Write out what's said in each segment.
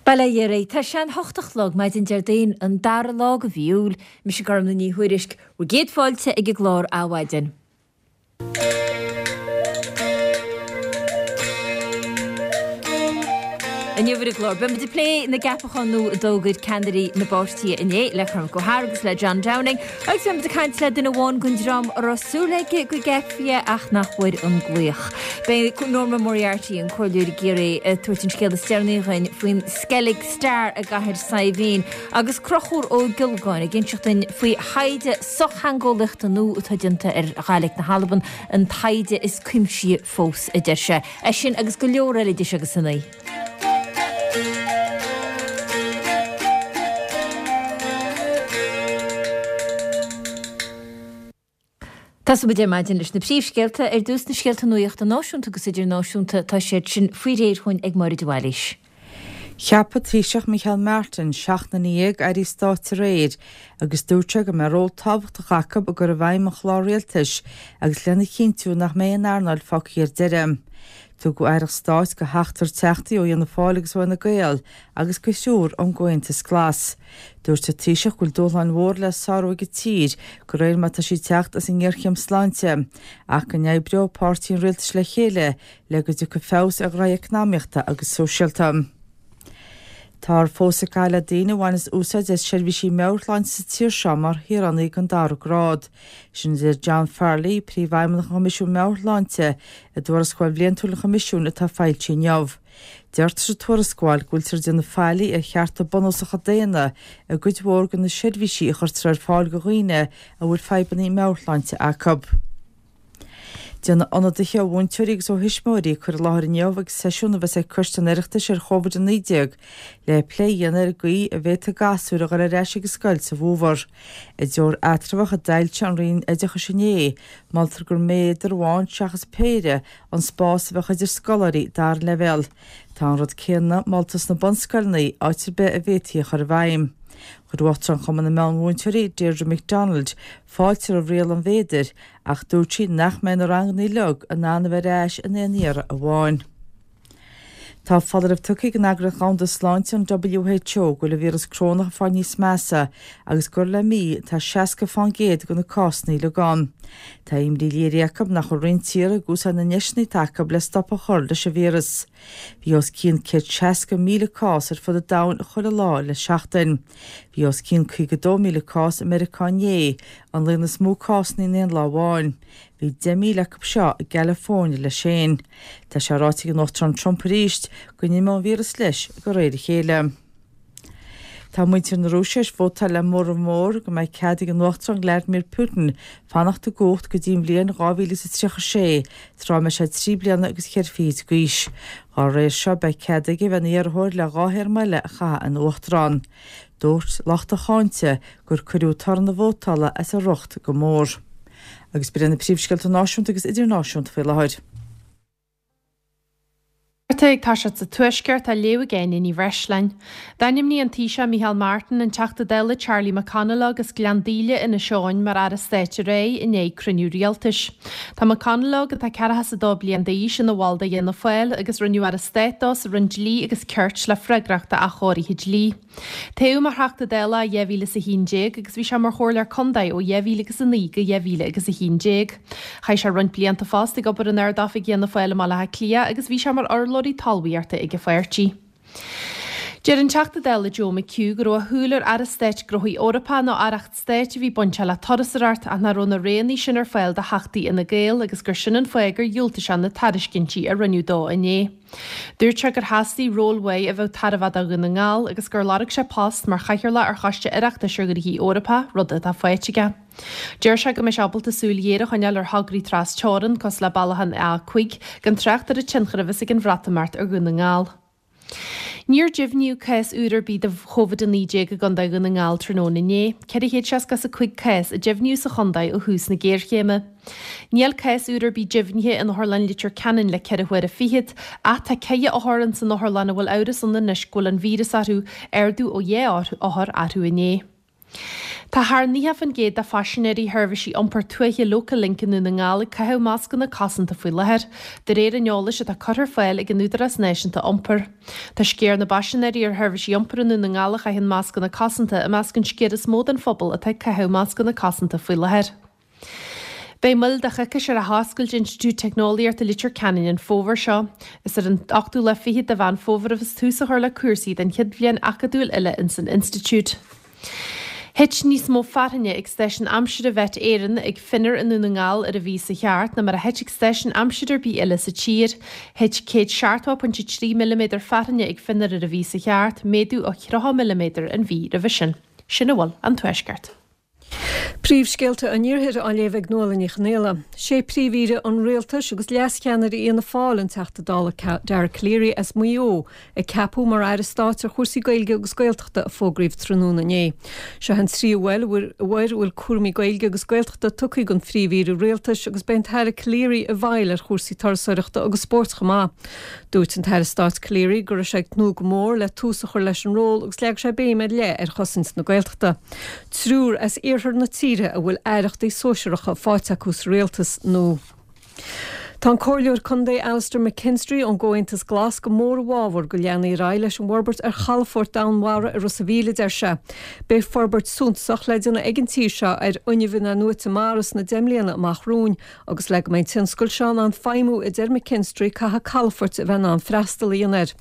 Bail ó Dhia oraibh. Tá sé an hocht a chlog, maidin Déardaoin, an dara lá de mhí Iúil. Mise Gormlaith Ní Thuairisg. Bhur gcéad fáilte ag an gclár Adhmhaidin. Inniu ar an gclár, beidh muid ag plé na gceapachán nua a d'fhógair ceannairí na bpáirtithe inné, le Cormac Ó hEadhra agus le John Downing, agus beidh muid ag caint le duine amháin den dream a raibh súil aige go gceapfaí é ach nach bhfuair an glaoch. Beidh Norma Moriarty, an Comhairleoir i gCiarraí, ag tabhairt an scéal is deireanaí dhuinn faoin Skellig Star i gCathair Saidhbhín, agus Conchúr Ó Giolláin ag inseacht duinn faoi thaighde sochtheangeolaíochta nua atá déanta ar Ghàidhlig na hAlban, an taighde is cuimsithí fós, a deir sé. É sin agus go leor eile idir seo agus a naoi. Tosóidh muid ar maidin leis na príomhscéalta. Ar dtús na scéalta nuachta náisiúnta agus idirnáisiúnta, tá siad sin faoi réir chugainn ag Máire de Bhailís. Cheap an Taoiseach Micheál Martin 17 nduine airí stáit aréir agus dúirt sé go mbeidh ról tábhachtach acu i gcur i bhfeidhm an chláir rialtais agus lena chinntiú nach mbeidh aon earnáil fágtha ar deireadh. Tugadh aireacht stáit do sheachtar teachtaí ó Fhianna Fáil agus ó Fhine Gael agus do thriúr ón gComhaontas Glas. Dúirt an Taoiseach go bhfuil dúshláin mhóra le sárú ag an tír de réir mar atá sí ag teacht as an ngéarchéim sláinte ach go n-oibreoidh páirtithe an rialtais le chéile le go dtiocfaidh feabhas ar ghnoithí eacnamaíochta agus sóisialta. Táthar fós ag caitheamh le daoine a bhaineas úsáid as seirbhísí meabhairshláinte sa tír seo mar shaoránaigh den dara grád. Sin a deir John Farrelly, Príomhfheidhmeannach an Choimisiúin Meabhair-Shláinte, i dtuarascáil bhliantúil an Choimisiúin atá foilsithe inniu. Deirtear sa tuarascáil go bhfuiltear ag déanamh faillí ar chearta bunúsacha daonna i gcuid mhór de na seirbhísí a chuirtear ar fáil do dhaoine a bhfuil fadhbanna meabhairshláinte acu. Déanfaidh ionadaithe ó mhúinteoirí agus ó thuismitheoirí cur i láthair inniu ag seisiún a bheas ag Coiste an Oireachtais ar Chovid-19 le plé a dhéanamh ar an gcaoi a bhféadfaidh gasúir a dhul ar ais ag an scoil sa bhfómhar. I dtreoir eatramhach a d'fhoilsigh an Roinn Oideachais inné, moltar gur méadar amháin seachas péire an spás a bheadh idir scoláirí dara leibhéal. Tá an rud céanna molta sna bunscoileanna, áit ar bith a bhféadfaí a chur i bhfeidhm. Chuir Uachtarán Chumann na Meánmhúinteoirí, Deirdre McDonald, fáilte roimh riail an mhéadair ach dúirt sí nach mbeidh na ranganna uilig in ann a bheith ar ais in aon iarraidh amháin. Tá foláireamh tugtha ag an Eagraíocht Dhomhanda Sláinte, an WHO, go bhfuil an víreas corónach ag fáil níos measa agus gur le mí atá 60 fán gcéad de na cásanna uilig ann. Tá imní léirithe acu nach bhfuil roinnt tíortha ag úsáid na ndeiseanna atá acu le stop a chur leis an víreas. Bhí os cionn 160,000 cás ar fud an domhain chuile lá le seachtain. Bhí os cionn 52,000 cás i Meiriceá inné, an líon is mó cásanna in aon lá amháin. Bhí 10,000 acu seo i gCalifornia leis féin. Tá sé ráite ag an Uachtarán Trump arís go n-imeoidh an víreas leis de réir a chéile. Tá muintir na Rúise tar éis vótáil le móramh mór go mbeidh cead ag an Uachtarán Vladimir Putin fanacht i gcumhacht go dtí an bhliain 2036, tráth a mbeidh sé trí bliana agus cheithre fichid d'aois. Dá réir seo beidh cead aige a bheith ina iarrthóir le dhá théarma eile a chaitheamh ina Uachtarán. Dúirt lucht a cháinte gur cuireadh toradh na vótála as a riocht go mór. Agus b'in iad na príomhscéalta náisiúnta agus idirnáisiúnta faoi láthair. Ag toiseacht sa Tuaisceart á léamh ag Áine Ní Bhreisleáin. D'ainmnigh an Taoiseach Micheál Martin an Teachta Dála Charlie McConalogue as Gleann Daoile, Inis Eoghain, mar Aire Stáit aréir i ndiaidh cruinniú rialtais. Tá McConalogue, atá 42 bliain d'aois, ina bhall de Fhianna Fáil agus rinneadh Aire Stáit dó sa Roinn Dlí agus Cirt le freagracht d'athchóirithe dlí. Toghadh mar Theachta Dála i 2011 agus bhí sé mar Chomhairleoir Contae ó 2009 go 2011. Chaith sé roinnt blianta fosta ag obair in Ard-Oifig Fhianna Fáil i mBaile Átha Cliath agus bhí sé mar urlabhraí talmhaíochta ag an pháirtí. Deir an Teachta Dála Joe McHugh go raibh a shúil ar Aire Stáit Gnóthaí Eorpacha nó Aireacht Stáit a bhí bainteach le turasóireacht ach nach raibh na roghanna sin ar fáil do theachtaí Fhine Gael agus gur sin an fáth gur dhiúltaigh sé na tairiscintí a rinneadh dó inné. Dúirt sé gur theastaigh ról uaidh a bheadh tairbheach do Dhún na nGall agus gur lorg sé post mar chathaoirleach ar Choiste Oireachtais ar Ghnóthaí Eorpacha, rud atá faighte aige. Deir sé go mbeidh sé ábalta súil ghéar a choinneáil ar thograí tras teorann, cosúil le bealach an A5, gan trácht ar an tionchar a bheas ag an Bhreatimeacht ar Dhún na nGall. Níor deimhníodh cás úr ar bith de Chovid-19 i gContae Dhún na nGall tráthnóna inné. 465 cás a deimhníodh sa chontae ó thús na géarchéime. Níl cás úr ar bith deimhnithe in Otharlann Leitir Ceanainn le ceithre huaire fichead, ach tá ceithre othar ins an otharlann a bhfuil amhras ann anois go bhfuil an víreas orthu, ardú ó dhá othar arú inné. Tá thar 90% de phaisinéirí sheirbhísí iompair tuaithe Local Link i nDún na nGall ag caitheamh mascanna cosanta faoi láthair, de réir an eolais atá curtha ar fáil ag an Údarás Náisiúnta Iompair. Tá sciar na bpaisinéirí ar sheirbhísí iompair i nDún na nGall a chaitheann mascanna cosanta i measc an sciar is mó den phobal atá ag caitheamh mascanna cosanta faoi láthair. Beidh moill de choicís ar athoscailt Institiúid Teicneolaíochta Leitir Ceanainn an fómhar seo. Is ar an ochtú lá fichead de Mheán Fómhair a bheas tús á chur le cúrsaí den chéad bhliain acadúil eile ins an institiúid. Thit níos mó fearthainne ag stáisiún aimsire Mhet Éireann ag Finner i nDún na nGall ar an mhí sa cheart ná mar a thit ag stáisiún aimsire ar bith eile sa tír. Thit 170.3 milliméadar fearthainne ag Finner ar an mhí sa cheart, méadú ó 30 milliméadar an mhí roimhe sin. Sin a bhfuil ón Tuaisceart. Príomhscéalta an Iarthair á léamh ag Nuala Ní Chonghaile. Sé Príomh-Aoire an Rialtais agus leascheannaire Fhianna Fáil, an Teachta Dála Dara Calleary as Maigh Eo, a ceapadh mar Aire Stáit ar chúrsaí Gaeilge agus Gaeltachta a fógraíodh tráthnóna inné. Seo an tríú huair a bhfuil cúraimí Gaeilge agus Gaeltachta tugtha don Phríomh-Aoire Rialtais agus beidh an tAire Calleary i bhfeighil ar chúrsaí turasóireachta agus spóirt chomh maith. Dúirt an tAire Stáit Calleary go raibh sé ag tnúth go mór le tús a chur leis an ról agus leag sé béim ar leith ar chosaint na Gaeltachta. Triúr as iarthar na tíre a bhfuil aireachtaí sóisearacha faighte acu sa rialtas nua. Tá an Comhairleoir Contae Alastair McKinstry ón gComhaontas Glas go mór i bhfabhar go leanfaí ar aghaidh leis an bhforbairt ar chalafort Domhainmhara i Ros a' Mhíl, a deir sé. Beidh forbairt suntasach le déanamh ag an tír seo ar fhuinneamh in-athnuaite mara sna 10 mbliana amach romhainn agus le go mbeidh an tionscal seo in ann feidhmiú, a deir McKinstry, caithfidh calafoirt a bheith in ann freastal a dhéanamh air.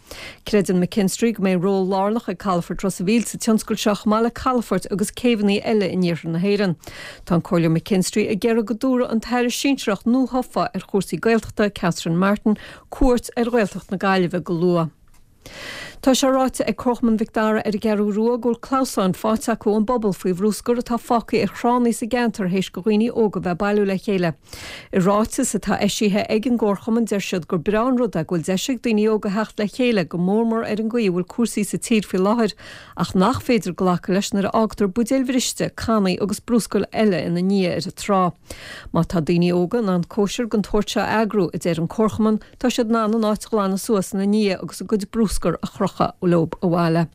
Creideann McKinstry go mbeidh ról lárnach ag Calafort Ros a' Mhíl sa tionscal seo chomh maith le calafoirt agus céibheanna eile in iarthar na hÉireann. Tá an Comhairleoir McKinstry ag iarraidh go dtabharfadh an tAire Sinsearach nuathofa ar chúrsaí Gaeltachta, Catherine Martin, cuairt ar Ghaeltacht na Gaillimhe go luath. Tá sé ráite ag Comharchumann Mhic Dara ar an gCeathrú Rua go bhfuil clamhsáin faighte acu ón bpobal faoi bhrúscar atá fágtha ar thránna sa gceantar théis do dhaoine óga bheith ag bailiú le chéile. I ráiteas atá eisithe ag an gcomharchumann deir siad gur breá an rud é go bhfuil deis ag daoine óga theacht le chéile, go mór mór ar an gcaoi a bhfuil cúrsaí sa tír faoi láthair, ach nach féidir glacadh leis nuair a fhágtar buidéil bhriste, cannaí agus brúscar eile ina ndiaidh ar an trá. Má tá daoine óga in ann cóisir den tsórt seo a eagrú, a deir an comharchumann, tá siad in ann an áit a ghlanadh suas ina ndiaidh agus a gcuid brúscair a chrochadh leo abhaile.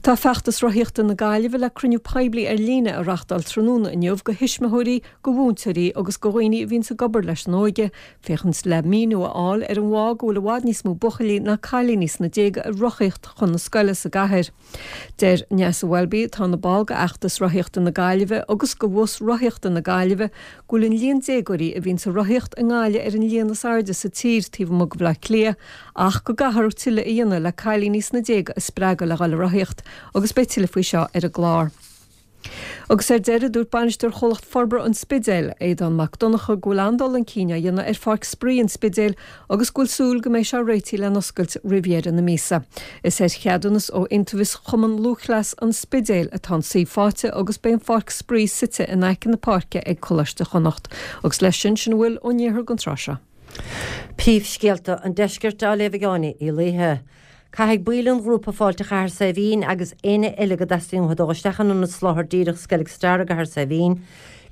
Tá Feachtas Rothaíochta na Gaillimhe le cruinniú poiblí ar líne a reachtáil tráthnóna inniu do thuismitheoirí, do mhúinteoirí agus do dhaoine a bhíonns ag obair leis an óige, féachaint le míniú a fháil ar an bhfáth go bhfuil i bhfad níos mó buachaillí ná cailíní sna déaga ag rothaíocht chun na scoile sa gcathair. Deir Neasa Welby, atá ina ball de Fheachtas Rothaíochta na Gaillimhe agus de Bhus Rothaíochta na Gaillimhe, go bhfuil an líon déagóirí a bhíonns ag rothaíocht i nGaillimh ar an líon is airde sa tír taobh amuigh de Bhaile Átha Cliath ach go gcaithfear tuilleadh a dhéanamh le cailíní sna déaga a spreagadh le dhul ag rothaíocht agus beidh tuilleadh faoi seo ar an gclár. Agus ar deireadh, dúirt bainisteoir Chomhlacht Forbartha an Spidéil, Aodán Mac Donncha, go bhfuil an-dul chun cinn á dhéanamh ar Pháirc Spraoi an Spidéil agus go bhfuil súil go mbeidh sé réitithe lena oscailt roimh dheireadh na míosa. Is ar cheadúnas ó Iontaobhas Chumann Lúthchleas an Spidéil atá an suíomh faighte agus beidh an pháirc spraoi suite in aice na páirce ag Coláiste Chonnacht. Agus leis sin, sin a bhfuil ón iarthar don tráth seo. Príomhscéalta an Deiscirt á léamh ag Áine Uí Laoithe. Caithfidh baill an ghrúpa Fáilte Chathair Saidhbhín agus éinne eile go dteastaíonn uathu dul isteach in ionad soláthair díreach Skellig Star i gCathair Saidhbhín,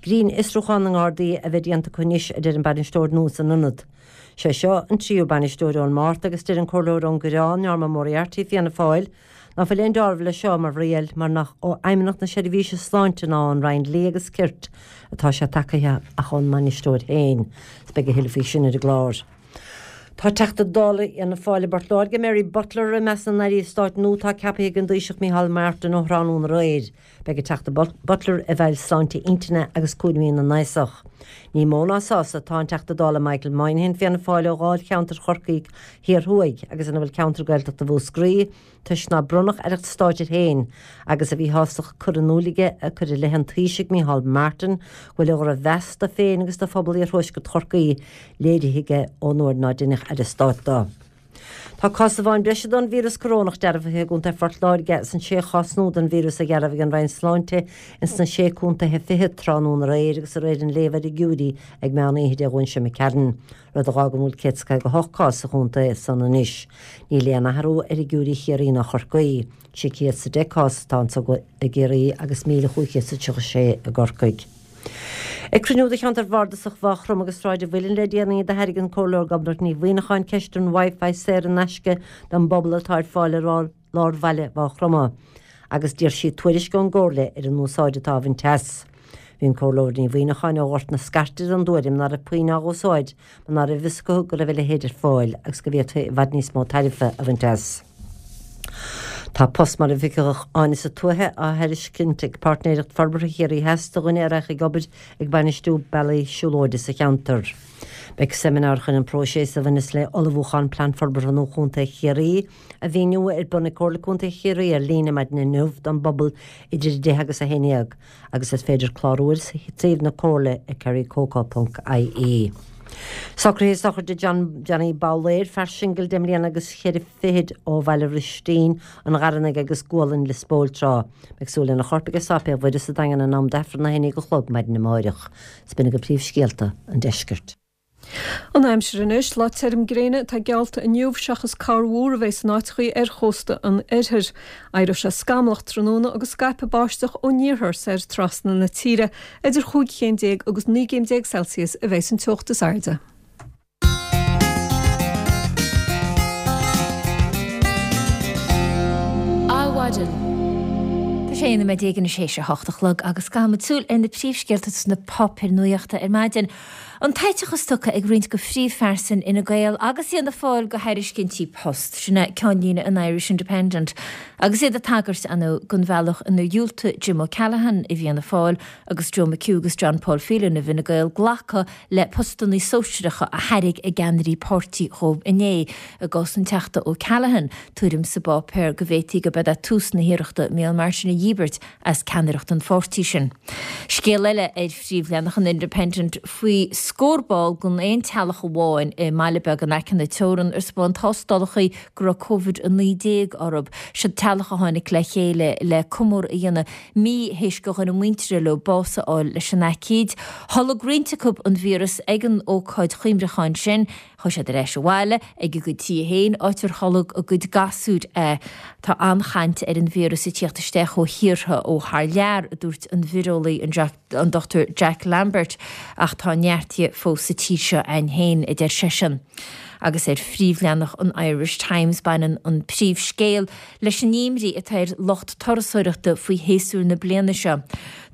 grinnfhiosrúchán na nGardaí a bheith déanta acu anois, a deir an bainisteoir nua san ionad. Sé seo an tríú bainisteoir ón Márta agus deir an Comhairleoir ón gCoireán, Norma Moriarty, Fianna Fáil, Ná fuil aon deáramh leis seo mar riail mar nach ó Fheidhmeannacht na Seirbhíse Sláinte ná ón Roinn Dlí agus Cirt atá sé tacaithe ach ón mbainisteoir féin. Is beidh a thuilleadh faoi sin ar an gclár. Tá Teachta Dála Fhianna Fáil i bPort Láirge, Mary Butler, i measc na n-airí stáit nua atá ceaptha ag an dTaoiseach Micheál Martin ó thráthnóna aréir. Beidh an Teachta Butler i bhfeighil sláinte intinne agus cúraimí na n-aosach. Ní mó ná sásta atá an Teachta Dála Michael Moynihan, Fianna Fáil, ó dháilcheantar Chorcaí Thiar Thuaidh agus ina bhfuil ceantar Gaeltachta Mhúscraí, toisc nár bronnadh aireacht stáit air féin agus a mhíshástacht curtha in iúl aige ag cur i leith an Taoisigh Micheál Martin go bhfuil a dhrochmheas dó féin agus do phobal iarthuaisceart Chorcaí léirithe aige ón uair ná deineadh aire stáit dó. Tá cás amháin breise den víreas corónach dearbhaithe i gContae Phort Láirge is an sé chás nua den víreas a dhearbhaigh an Roinn Sláinte ins na sé contaetha fichead tráthnóna aréir agus de réir an léamha ar fhigiúirí ag meán oíche Dé Luain seo imigh tharainn. Rud a dh'fhágann go bhfuil 158 cás sa chontae san anois. Níl aon athrú ar fhigiúirí Chiarraí ná Chorcaí. 610 cás atá anso i gCiarraí agus 1,536 i gCorcaigh. Ag cruinniú de cheantar bhardasach Mhaigh Chromtha agus Sráid an Mhuilinn le déanaí, d'aithrigh an Comhairleoir Gobnait Ní Mhuimhneacháin ceist an Wi-Fi saor in aisce don bpobal atá ar fáil i lár bhaile Mhaigh Chromtha. agus d'iarr sí tuairisc ón gComhairle ar an úsáid atá á bhaint as. Bhí an Comhairleoir Ní Mhuimhneacháin ó Ghort na Scairte den dtuairim ná raibh puinn á úsáid mar ná raibh a fhios acu go raibh a leithéid ar fáil agus go bhféadfaí i bhfad níos mó tairbhe a bhaint as. Tá post mar Oifigeach Áineasa Tuaithe á thairiscint ag Páirtnéireacht Forbartha Chiarraí Theas do dhuine a rachaidh ag obair ag bainistiú bealaí siúlóide sa cheantar. Beidh seimineár chun an próiseas a bhaineas le ullmhúchán Plean Forbartha Nua Chontae Chiarraí a mhíniú ar bun ag Comhairle Contae Chiarraí ar líne maidin inniu don bpobal idir 10 agus 11 agus is féidir clárú ar suíomh na Comhairle ag kerrycoco.ie. Socruithe sochraide John Johnny Babhléir, fear singil deich mbliana agus cheithre fichid ó Bhaile Bhristín, an Gharranaigh agus Gualainn Lios Póil tráth. Beidh súil lena chorp ag Sáipéal Mhuire sa Daingean in am d'Aifreann 11 a chlog maidin amáireach. 'S b'in agaibh príomhscéalta an deiscirt. An aimsir anois, lá tirim gréine atá geallta inniu seachas corrmhúr a bheidh in áiteachaí ar chósta an oirthir. Éireoidh sé scamallach tráthnóna agus scaipfidh báisteach ón iarthar soir trasna na tíre. Idir chúig chéim déag agus 19 gcéim Celsius a bheidh an teocht is airde. Adhmhaidin. Tá sé 11 nóiméad anois théis a hocht a chlog agus caithfimid súil ar na príomhscéalta sna páipéir nuachta ar maidin. An t-eiteachas tugtha ag roinnt de phríomhphearsain Fhine Gael agus Fhianna Fáil do thairiscintí post, sin é ceannlíne an Irish Independent, agus iad ag tagairt, ar ndóigh, don bhealach inar dhiúltaigh Jim O'Callaghan i bhFianna Fáil agus Joe McHugh agus John Paul Phelan i bhFine Gael glacadh le postanna sóisearacha a thairg a gceannairí páirtí dhóibh inné. I gcás an Teachta O'Callaghan, tuairim sa bpáipéar go bhféadfaí gurb é tús na hiarrachta Micheál Martin a dhíbirt as ceannaireacht an pháirtí sin. Scéal eile ar phríomhleathanach an Independent faoi scór ball den aon teaghlach amháin i mbaile beag in aice na teorann ar spáin tástálacha go raibh Covid-19 orthu. Siod teaghlach a tháinig le chéile le comóradh a dhéanamh mí théis do dhuine muinteartha leo bás a fháil leis an aicíd. Tholg roinnt acu an víreas ag an ócáid chuimhneacháin sin. Chuaigh siad ar ais abhaile ag a gcuid tithe féin, áit ar tholg a gcuid gasúir é. Tá an-chaint ar an víreas ag tíocht isteach ó thíortha ó thar lear, a dúirt an víreolaí an Dr Jack Lambert, ach tá neart dhe fós sa tír seo a'ainn féin, a deir seisean. Agus ar phríomhleathanach an Irish Times baineann an príomhscéal leis an imní atá ar lucht turasóireachta faoi shéasúr na bliana seo.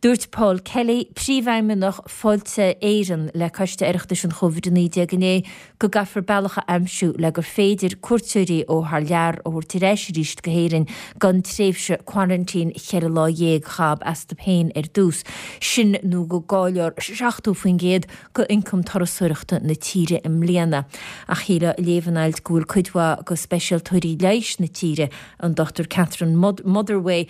Dúirt Paul Kelly, Príomhfheidhmeannach Fáilte Éireann le Coiste Oireachtais an Chóivid-19 inné go gcaithfear bealach a aimsiú le gur féidir cuairteoirí ó thar lear a thabhairt ar ais arís go hÉirinn gan tréimhse quarantine cheithre lá dhéag a ghabháil astu féin ar dtús, sin nó go gcaillfear 70% de ioncam turasóireachta na tíre i mbliana. Ach shílfeá ag léamh an ailt go bhfuil cuid mhaith de speisialtóirí leighis na tíre, an Dr Catherine Motherway,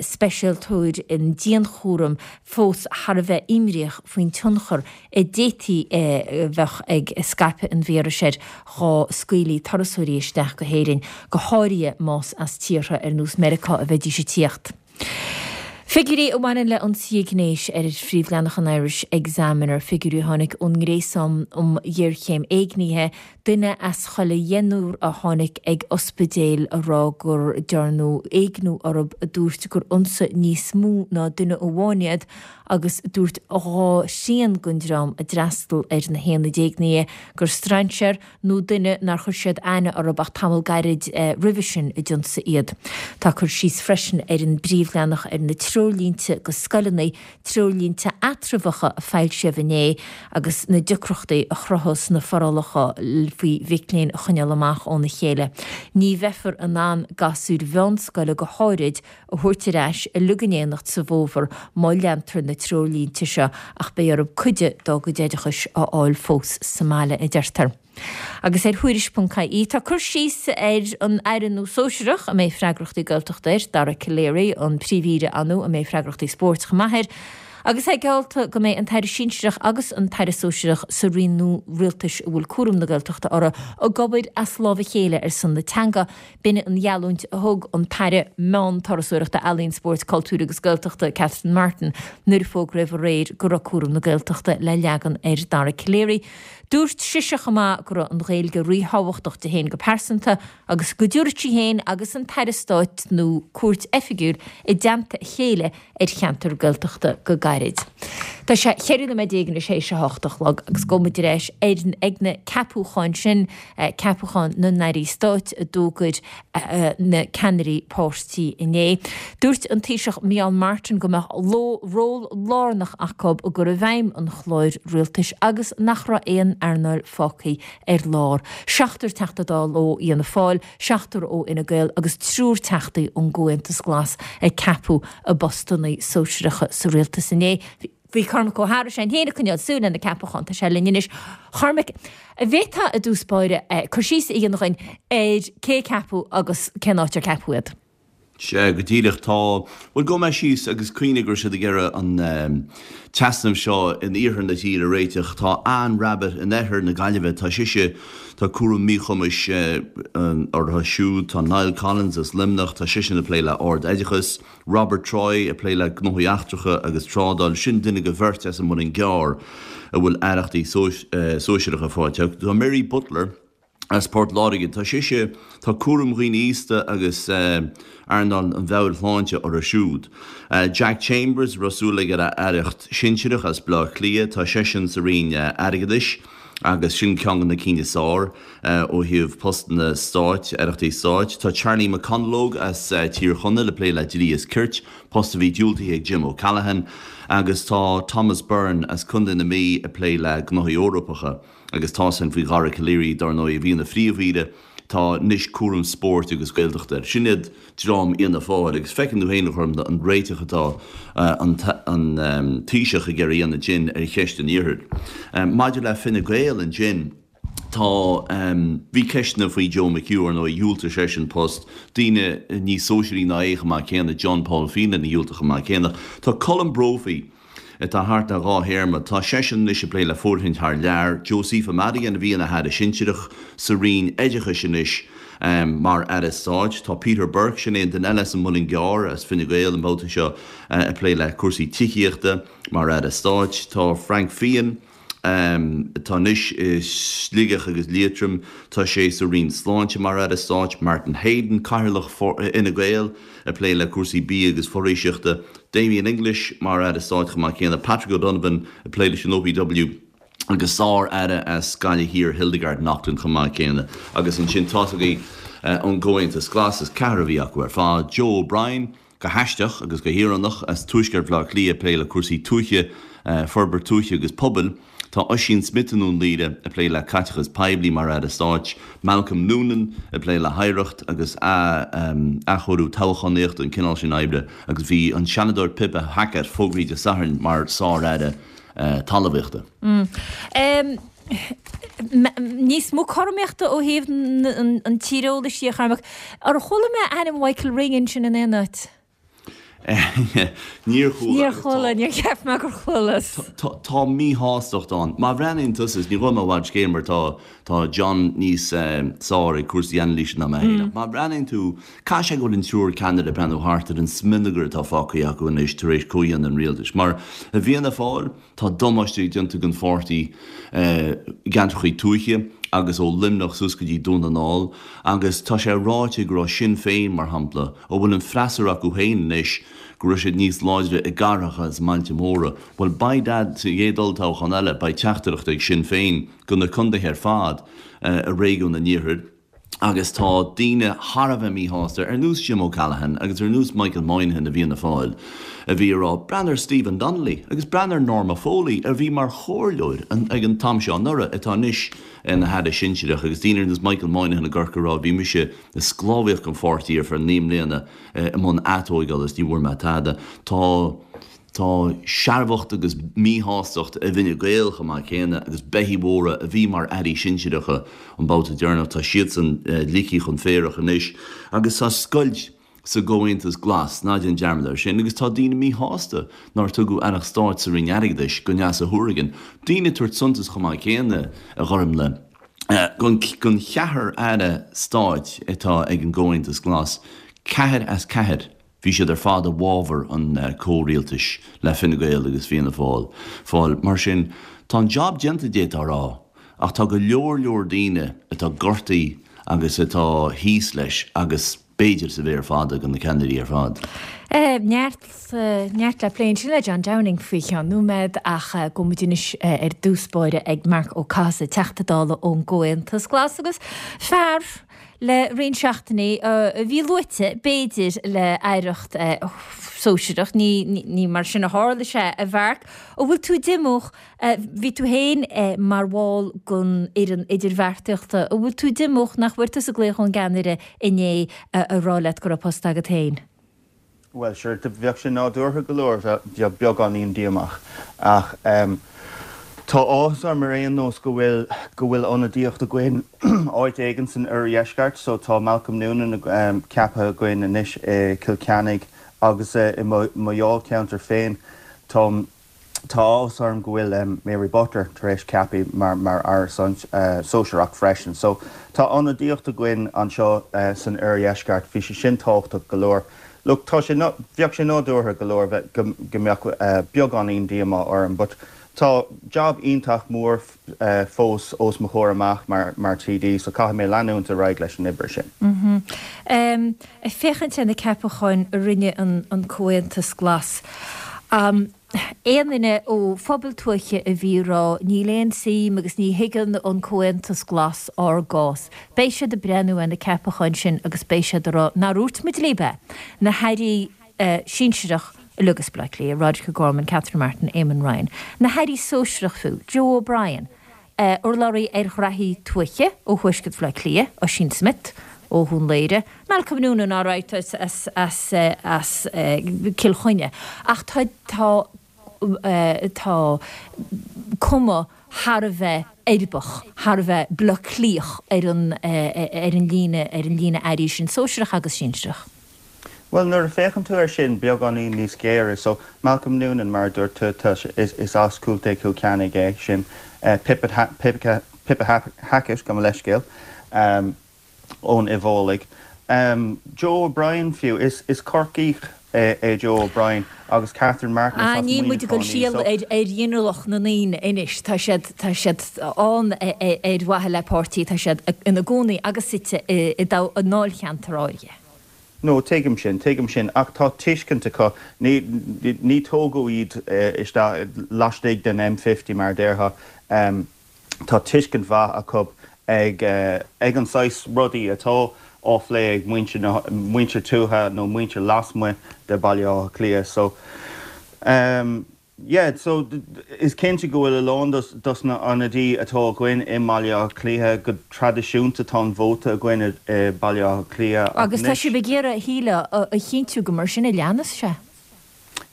speisialtóir i ndianchúram, fós thar a bheith imníoch faoin tionchar a d'fhéadfaí a bheadh ag scaipeadh an víris air dhá scaoilfí turasóirí isteach go hÉirinn, go háirithe más as tíortha ar nós Meiriceá a bheidís ag tíocht. Figiúirí a bhaineann le ionsaithe gnéis ar phríomhleathanach an Irish Examiner, figiúirí a tháinig ón nGréasán um Ghéarchéim Éignithe, duine as chuile dheichniúr a tháinig ag ospidéal a rá gur dearnadh éigniú orthu a dúirt gur ionsaigh níos mó ná duine amháin iad agus dúirt 2 thrian den dream a d'fhreastail ar na haonaid éignithe gur strainséir nó duine nár chuir siad aithne orthu ach tamall gairid roimhe sin a d'ionsaigh iad. Tá cur síos freisin ar an bpríomhleathanach ar na treoirlínte go scoileanna, treoirlínte eatramhacha a foilsíodh inné agus na deacrachtaí a chruthós na forálacha faoi mhic léinn a choinneáil amach óna chéile. Ní bheifear in ann gasúir mheánscoile go háirid a thabhairt ar ais uilig in éineacht sa bhfómhar má leantar na treoirlínte seo ach beidh orthu cuid dá gcuid oideachais a fháil fós sa mbaile, a deirtear. Agus ar Thuairisc.ie tá cur síos ar an Aire nua sóisearach a mbeidh freagrachtaí Gaeltachta air, Dara Calleary, an Príomh-Aoire nua a mbeidh freagrachtaí spóirt chomh maith air, agus é geallta go mbeidh an tAire Sinsearach agus an tAire Sóisearach sa roinn nua rialtais a bhfuil cúram na Gaeltachta orthu ag obair as lámh a chéile ar son na teanga. B'in an gheallúint a thug an tAire Meán, Turasóireachta, Ealaíon, Spóirt, Cultúir agus Gaeltachta, Catherine Martin, nuair a fógraíodh aréir go raibh cúram na Gaeltachta le leagan ar Dara Calleary. Dúirt sise chomh maith go raibh an Ghaeilge ríthábhachtach di féin go pearsanta agus go dtabharfadh sí féin agus an tAire Stáit nua cuairt oifigiúil i dteannta a chéile ar cheantar Gaeltachta go gairid. Tá sé 14 nóiméad anois théis a hocht a chlog agus gabhfaidh muid ar ais ar ag na ceapúcháin sin, ceapúcháin na n-airí stáit a d'fhógair na ceannairí páirtí inné. Dúirt an Taoiseach Micheál Martin go mbeadh ról lárnach acu i gcur i bhfeidhm an chláir rialtais agus nach raibh aon earnáil fágtha ar lár. Seachtar Teachta Dála ó Fhianna Fáil, seachtar ó Fhine Gael agus triúr Teachtaí ón gComhaontas Glas a ceapadh i bpostanna sóisearacha sa rialtas inné. Bhí Cormac Ó hEadhra sé féin ag coinneáil súil ar na ceapacháin, tá sé linn anois. Chormaic, an bhféadfá i dtús báire cur síos a dhéanamh dhuinn ar cé a ceapadh agus cén áit ar ceapadh iad? Sea, go díreach. Tá, bhuel, gabhfaidh mé síos agus cuimhnigh go raibh siad ag iarraidh an t-easnamh seo in iarthar na tíre a réiteach. Tá Anne Rabbitte in oirthear na Gaillimhe, tá sise, tá cúram míchumais uirthi siúd. Tá Niall Collins as Luimneach, tá seisean ag plé le ard-oideachas. Robert Troy ag plé le gnóthaí eachtracha agus trádáil. Sin duine de bheirt as an Muileann gCearr a bhfuil aireachtaí sóisearacha faighte acu. Tá Mary Butler as Port Láirge, tá sise, tá cúram dhaoine aosta agus earnáil an mheabhairshláinte uirthi siúd. Jack Chambers, a raibh súil aige ar aireacht shinsearach as Bleá Cliath, tá seisean sa Roinn Airgeadais agus sin ceann de na cinn is fearr ó thaobh postanna stáit, aireachtaí stáit. Tá Charlie McConalogue as Tír Chonaill ag plé le dlí is cirt, post a bhí diúltaithe ag Jim O'Callaghan, agus tá Thomas Byrne as Contae na Mí ag plé le gnóthaí Eorpacha. Agus tá sin faoi Dhara Calleary, dar ndóigh, a bhí ina phríomh-aoire, tá anois cúram spóirt agus Gaeltachta air. Sin iad dream Fhianna Fáil agus feiceann tú féin, a Ghormfhlaith, an réiteach atá an Taoiseach ag iarraidh a dhéanamh dinn ar cheist an Iarthair. Maidir le Fine Gael ansin, tá, bhí ceisteanna faoi Joe McHugh, ar ndóigh, dhiúltaigh seisean post, daoine níos sóisearaí ná é chomh maith céanna, John Paul Phelan a dhiúltaigh chomh maith céanna. Tá Colm Brophy, atá thart le dhá théarma. Tá seisean anois ag plé le fóirithint thar lear. Josepha Madigan a bhí ina haire sinsearach sa Roinn Oideachais anois mar aire stáit. Tá Peter Burke, sin é an duine eile as an Muileann gCearr, as Fine Gael an babhta seo, ag plé le cúrsaí tithíochta mar aire stáit. Tá Frank Feighan, atá anois i Sligeach agus Liatroim. Tá sé sa Roinn Sláinte mar Aire Stáit. Martin Heydon, Cathaoirleach Fhine Gael, ag plé le cúrsaí bia agus foraoiseachta. Damien English mar Aire Stáit chomh maith céanna. Patrick O'Donovan ag plé leis an OPW agus sár-aire as Gaillimh Thiar, Hildegarde Naughton chomh maith céanna. Agus ansin tá's agaibh ón gComhaontas Glas, is ceathrar a bhí acu ar fad, Joe O'Brien, Go haisteach agus go híorónach, as tuaisceart Bhaile Átha Cliath ag plé le cúrsaí tuaithe, forbairt tuaithe agus pobail, tá Oisín Smith i nDún Laoghaire ag plé le caiteachas poiblí mar Aire Stáit, Malcolm Noonan ag plé le hoidhreacht agus athchóiriú toghchánaíochta, an cineál sin oibre, agus bhí an Seanadóir Pippa Hackett fógraithe Dé Sathairn mar Sár-Aire Talmhaíochta. Níos mó cothromaíochta ó thaobh an tíreolais de, a Chormaic. Ar chuala mé ainm Michael Ring ansin in aon áit? Níor chuala. Níor chuala, níor cheap mé gur chualas. Tá míshástacht ann. Má bhreathnaíonn tusa, is ní ghabhfaidh mé i bhfad scéil mar tá tá John níos sár ag cúrsaí anailíse ná mé féin, ach má bhreathnaíonn tú, caithfidh sé go bhfuil an triúr ceannaire ag breathnú thart ar an smionagar atá fágtha acu anois tar éis comhdhéanamh an rialtais. Mar i bhFianna Fáil, Tá damáiste déanta don pháirtí i gceantracha tuaithe agus ó Luimneach suas go dtí Dún na nGall agus tá sé ráite go raibh Sinn Féin, mar shampla, a bhfuil an freasúra acu féin anois, go raibh siad níos láidre i gcathracha is i mbailte móra. Bhuel, by dad, sa gcéad olltoghchán eile, beidh teachtaireacht ag Sinn Féin go na contaetha ar fad i réigiún an Iarthair. Agus tá daoine thar a bheith míshásta, ar nós Jim O'Callaghan agus ar nós Michael Moynihan i bhFianna Fáil, a bhí ag rá, breathnaigh ar Stephen Donnelly agus breathnaigh ar Norma Foley, a bhí mar chomhairleoir ag an t-am seo anuraidh, atá anois ina haire sinsearach, agus daoine ar nós Michael Moynihan i gCorcaigh ag rá, bhí mise ag sclábhaíocht don pháirtí ar feadh 9 mbliana i mbun atóigeála is ní bhfuair mé tada. Tá. Tá searbhacht agus míshástacht i bhFine Gael chomh maith céanna agus beithígh mhóra a bhí mar airí sinsearacha an babhta deireanach, tá siadsan ligthe chun féarach anois agus tá scoilt sa gComhaontas Glas, ná déan dearmad air sin, agus tá daoine míshásta nár tugadh aireacht stáit sa Roinn Airgeadais go Neasa Hourigan. Daoine ag tabhairt suntas chomh maith céanna, a Ghormfhlaith, gon cheathrar aire stáit atá ag an gComhaontas Glas, ceathair as ceathair, Bhí siad ar fad i bhfabhar an chomhrialtais le Fine Gael agus Fianna Fáil. Fáil. Mar sin, tá an jab déanta, d'fhéadfá a rá, ach tá go leor leor daoine atá gortaithe agus atá thíos leis agus. b'fhéidir, sa mhéar fada do na ceannairí ar fad. Neart, neart le plé ansin le John Downing faoi cheann nóiméad ach gabhfaidh muid anois ar dtús báire ag Marc Ó Cathasaigh, Teachta Dála ón gComhaontas Glas agus fear le roinnt seachtainí a bhí luaite, b'fhéidir, le aireacht sóisearach. Ní, ní mar sin a tharla sé, a Mharc. An bhfuil tú díomách Bhí tú féin mar bhall den fhoireann idirbheartaíochta. An bhfuil tú díomách nach bhfuair tusa glaoch ón gceannaire inné a rá leat go raibh post agat féin? Bhuel, sure, bheadh sé nádúrtha go leor bheith beagáinín díomách. Ach tá áthas orm ar aon nós go bhfuil go bhfuil ionadaíocht againn áit éigin san oirdheisceart. So tá Malcolm Noonan ceaptha againn anois i Cill Ceannaigh agus i mo dháilcheantar féin tá Tá áthas orm go bhfuil Mary Butler tar éis ceapadh mar mar Aire Sóisearach freisin. So tá ionadaíocht againn anseo san oirdheisceart. Bhí sé sin tábhachtach go leor. Look, tá sé, bheadh sé nádúrtha go leor bheith, go go mbeadh beagáinín díomá orm but tá job iontach mór fós os mo chomhair amach mar mar TD so caithfidh mé leanúint ar aghaidh leis an oibre sin. Ag féachaint ar na ceapacháin a rinne an Comhaontas Glas, aon duine ó phobal tuaithe a bhí ag rá níl aon suim agus ní thuigeann an Comhaontas Glas ár gcás, beidh siad ag breathnú ar na ceapacháin sin agus beidh siad ag rá nár dhúirt muid libh é, na hairí sinsearach uilig as Baile Átha Cliath, Roderic O'Gorman, Catherine Martin, Eamon Ryan, na hairí sóisearach fiú, Joe O'Brien, urlabhraí ar ghraithí tuaithe ó thuaisceart Bhaile Átha Cliath, Ossian Smyth ó Dhún Laoghaire, Malcolm Noonan alright as as as Cill Chainnigh ach tá tá tá cuma thar a bheith uirbeach, thar a bheith Baile Átha Cliathach ar an ar an líne ar an líne airí sin, sóisearach agus sinsearach. Bhuel, nuair a féachann tú air sin beagáinín níos géire, so Malcolm Noonan, mar a dúirt tú, tá sé, is, is as Contae Chill Chainnigh é sin, Pippa, Pippa, Pippa Hackett, gabh mo leithscéal, ón Uíbh Fhailí. Joe O'Brien fiú, is, is Corcaíoch é, é Joe O'Brien agus Catherine Martin, is Ah, as níl muid ag dul Muineachán í, siar so. ar, ar ghinealach na ndaoine anois, tá siad, tá siad ann ar mhaithe le páirtí, tá siad ina gcónaí agus suite i, i ndáilcheantar áirithe. No, tuigim sin, tuigim sin, ach tá tuiscint acu, ní, ní tógadh iad isteach laistigh den M50 mar a déarfá, tá tuiscint mhaith acu ag, ag an saghas rudaí atá á phlé ag muintir na, muintir tuaithe nó muintir lasmuigh de Bhaile Átha Cliath. So, Yeah, so is cinnte go bhfuil a lán dos na ionadaí atá againn i mBaile Átha Cliath, go traidisiúnta tá an vóta againn i Baile Átha Cliath ach Agus tá sibh ag iarraidh, shílfeá, a chinntiú go mar sin a leanas sé.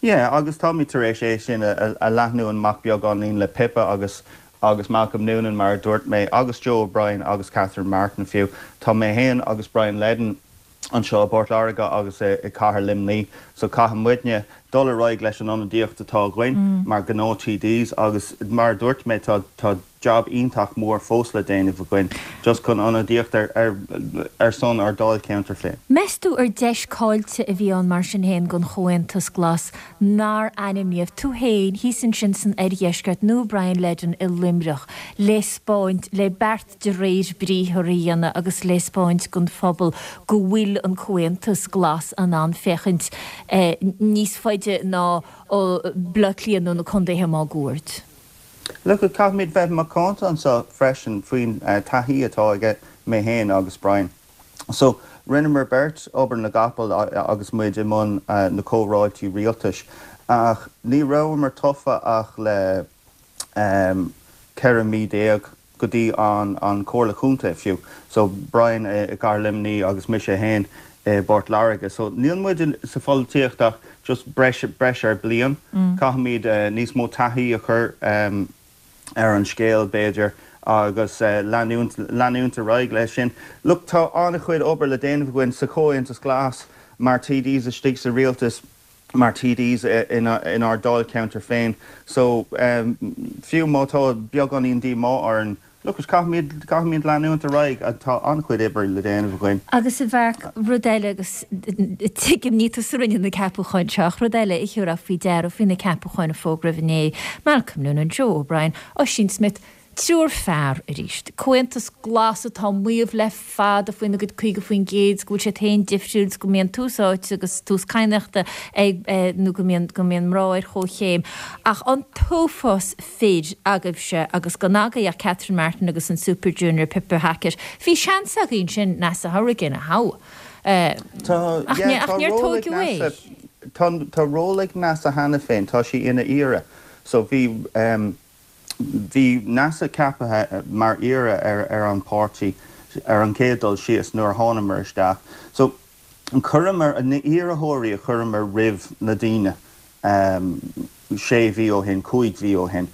Yeah, agus táimid tar éis é sin a leathnú amach beagáinín le Pippa agus agus Malcolm Noonan mar a dúirt mé, agus Joe O'Brien agus Catherine Martin fiú. Tá mé féin agus Brian Leddin, anseo i bPort Láirge agus i gcathair Luimnigh so caithfidh muidne dul ar aghaidh leis an ionadaíocht atá againn mar gnáth TDs agus mar a dúirt mé tá tá job iontach mór fós le déanamh againn just chun ionadaíocht ar ar ar son ár dáilcheantar féin. Meas tú ar deis caillte a bhí ann mar sin féin don Chomhaontas Glas nár ainmníodh tú féin thíos ansin san oirdheisceart nó Brian Leddin i Luimneach le 'spáint le beart de réir briathar a dhéanamh agus le 'spáint don phobal go bhfuil an Comhaontas Glas in ann féachaint níos faide ná Baile Átha Cliath nó na contaetha máguaird. Look, caithfimid bheith macánta anseo freisin faoin taithí atá aige mé féin agus Brian. So, rinneamar beirt obair na gcapall agus muid i mbun na comhráití rialtais ach ní rabhamar tofa ach le 14 mí go dtí an Chomhairle Chontae fiú. So Brian i gCathair Luimnigh agus mise féin i bPort Láirge. So níl muid sa pholaitíocht ach just breis breis ar bliain. Caithfimid níos mó taithí a chur ar an scéal b'fhéidir agus leanúint leanúint ar aghaidh leis sin. Look tá an-chuid obair le déanamh againn sa Chomhaontas Glas mar TDs istigh sa rialtas. mar TDs inár dáilcheantar féin. So, fiú má tá beagáinín díomá orainn, look, caithfimid, caithfimid leanúint ar aghaidh, tá an-chuid oibre le déanamh againn. Agus a Mharc, rud eile, agus tuigim, ní tusa a rinne na ceapúcháin seo, ach rud eile a thabharfá faoi deara faoi na ceapúcháin a fógraíodh inné, Malcolm Noonan, Joe O'Brien, Ossian Smyth. Triúr fear arís. Comhaontas Glas atá ag maíomh le fada faoina gcuid 50% go bhfuil siad féin difriúil 's go mbíonn tús áite agus tús cadhnaíochta ag nó go mbíonn go mbíonn mná ar chomhchéim. Ach an t-uafás fir agaibhse agus gan agaibh ach Catherine Martin agus an Super Junior Pippa Hackett. Bhí seans agaibh ansin Neasa Hourigan a thoghadh. Tá, Ach yeah, ach tá níor ról ag tóigeadh é. Neasa, tá, tá ról ag Neasa cheana féin, tá sí ina aoire. So bhí, bhí Neasa ceaptha mar aoire ar, ar an páirtí ar an chéad dul síos nuair a thánamar isteach. So chuireamar, na iarrthóirí a chuireamar roimh na daoine sé mhí ó shin, 5 mhí ó shin,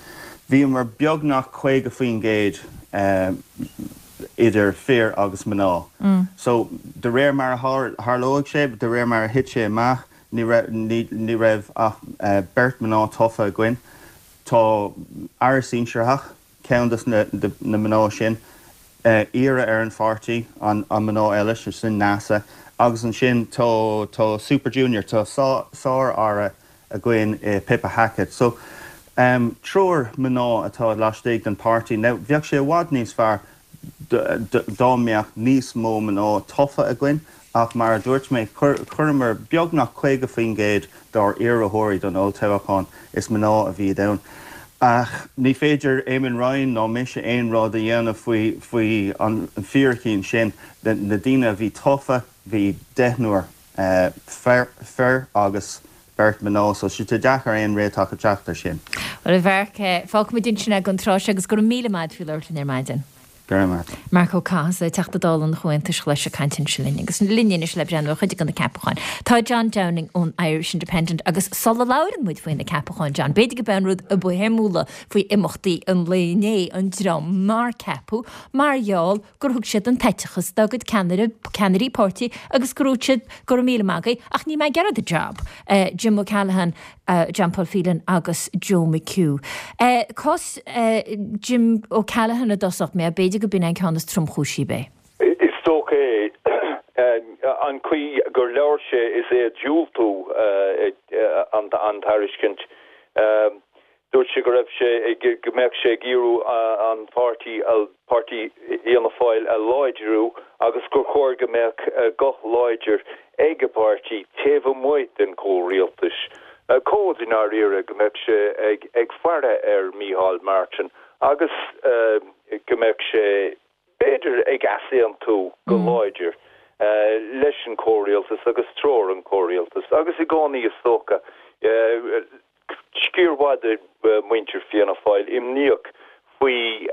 bhíomar beagnach 50% idir fir agus mná. So de réir mar a tharlóidh sé, de réir mar a thit sé amach, ní raibh, ní raibh ach beirt mná tofa againn. Tá Aire Sinsearach, ceann de na mná sin, aoire ar an pháirtí, an mná eile, sé sin Neasa, agus ansin tá tá Super Junior, tá sár-aire againn i Pippa Hackett. So, triúr mná atá laistigh den pháirtí. Now, bheadh sé i bhfad níos fearr dá mbeadh níos mó mná tofa againn ach mar a dúirt mé, chuireamar beagnach 50% dár iarrthóirí don olltoghchán, is mná a bhí ann. Ach ní féidir Eamon Ryan ná mise aon rud a dhéanamh faoi faoi an fíricí sin. Na daoine a bhí tofa, bhí deichniúr fir agus beirt mná, so tá sé deacair aon réiteach a teacht ar sin. Bhuel, a Mharc, fágfaimid ansin é don tráth seo agus go raibh míle maith agat faoi labhairt linn ar maidin. Go raibh maith. Marc Ó Cathasaigh, Teachta Dála an Chomhaontais Ghlais ag caint ansin linn. Agus linn anois le breathnú ar chuid de na ceapacháin tá John Downing ón Irish Independent agus sula labhrann muid faoi na ceapacháin, John, b'fhéidir go b'é an rud a ba shuimiúla faoi imeachtaí an lae inné an dream nár ceapadh mar gheall gur thug siad an t-eiteachas dá gcuid ceannaire, ceannairí páirtí agus go ndúirt siad go raibh míle maith agaibh ach níl mé ag iarraidh an job, Jim O'Callaghan, John Paul Phelan agus Joe McHugh. Cás Jim O'Callaghan i dtosach, mé, b'fhéidir go b'in é an ceann is tromchúisí, ab é? Is dócha é. An chaoi gur labhair sé is é ag diúltú an tairiscint. Dúirt sé go raibh sé ag, go mbeadh sé ag iarraidh an páirtí, páirtí Fhianna Fáil a láidriú agus gur chóir go mbeadh guth láidir ag an bpáirtí taobh amuigh den chomhrialtas. Cód i ndáiríre go mbeadh sé ag, ag faire ar Mícheál Martin agus go mbeadh sé, b'fhéidir, ag easaontú go láidir leis an chomhrialtas agus treoir an chomhrialtais agus i gcónaí is dócha, sciar mhaith de mhuintir Fianna Fáil imníoch faoi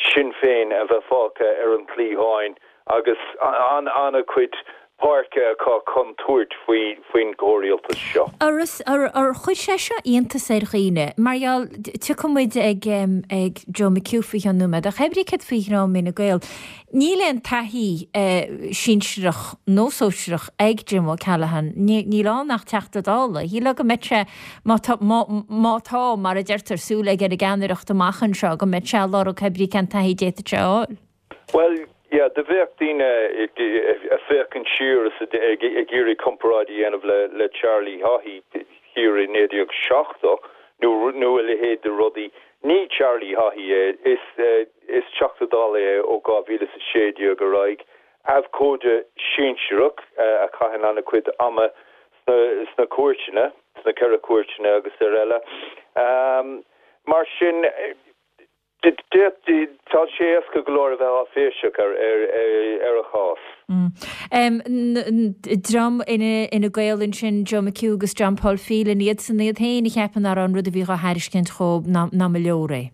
Sinn Féin a bheith fágtha ar an chliathán agus an-chuid páirce acu chun tabhairt faoin gcomhrialtas seo. Ar chuir sé seo iontas ar dhaoine? Mar gheall, tiocfaidh muid ag ag Joe McHugh faoi cheann nóiméad, ach cébrí céard faoi dhream Fhine Gael? Níl aon taithí sinsearach nó sóisearach ag Jim O'Callaghan. Níl ann ach Teachta Dála. Shílfeá go mbeadh sé, má tá, má tá, mar a deirtear, súil aige ar an gceannaireacht amach anseo, go mbeadh sé ag lorg cébrí cén taithí a d'fhéadfadh sé a fháil. Bhuel, yeah, do bheadh daoine ag féachaint siar is ag iarraidh comparáid a dhéanamh le Charlie Haughey thiar i 1970 nó a leithéid de rudaí. Ní Charlie Haughey é. Is. Is Teachta Dála é ó 2016 ar aghaidh, abhcóide sinsearach a chaitheann an-chuid ama sna cúirteanna, sna Ceithre Cúirteanna agus ar eile. Mar sin, tá sé éasca go leor a bheith áiféiseach ar a chás. Dream Fhine Gael ansin, Joe McHugh agus John Paul Phelan, iadsan iad féin a cheapann nach raibh an rud a bhí dhá thairiscint dhóibh ná mba leor é.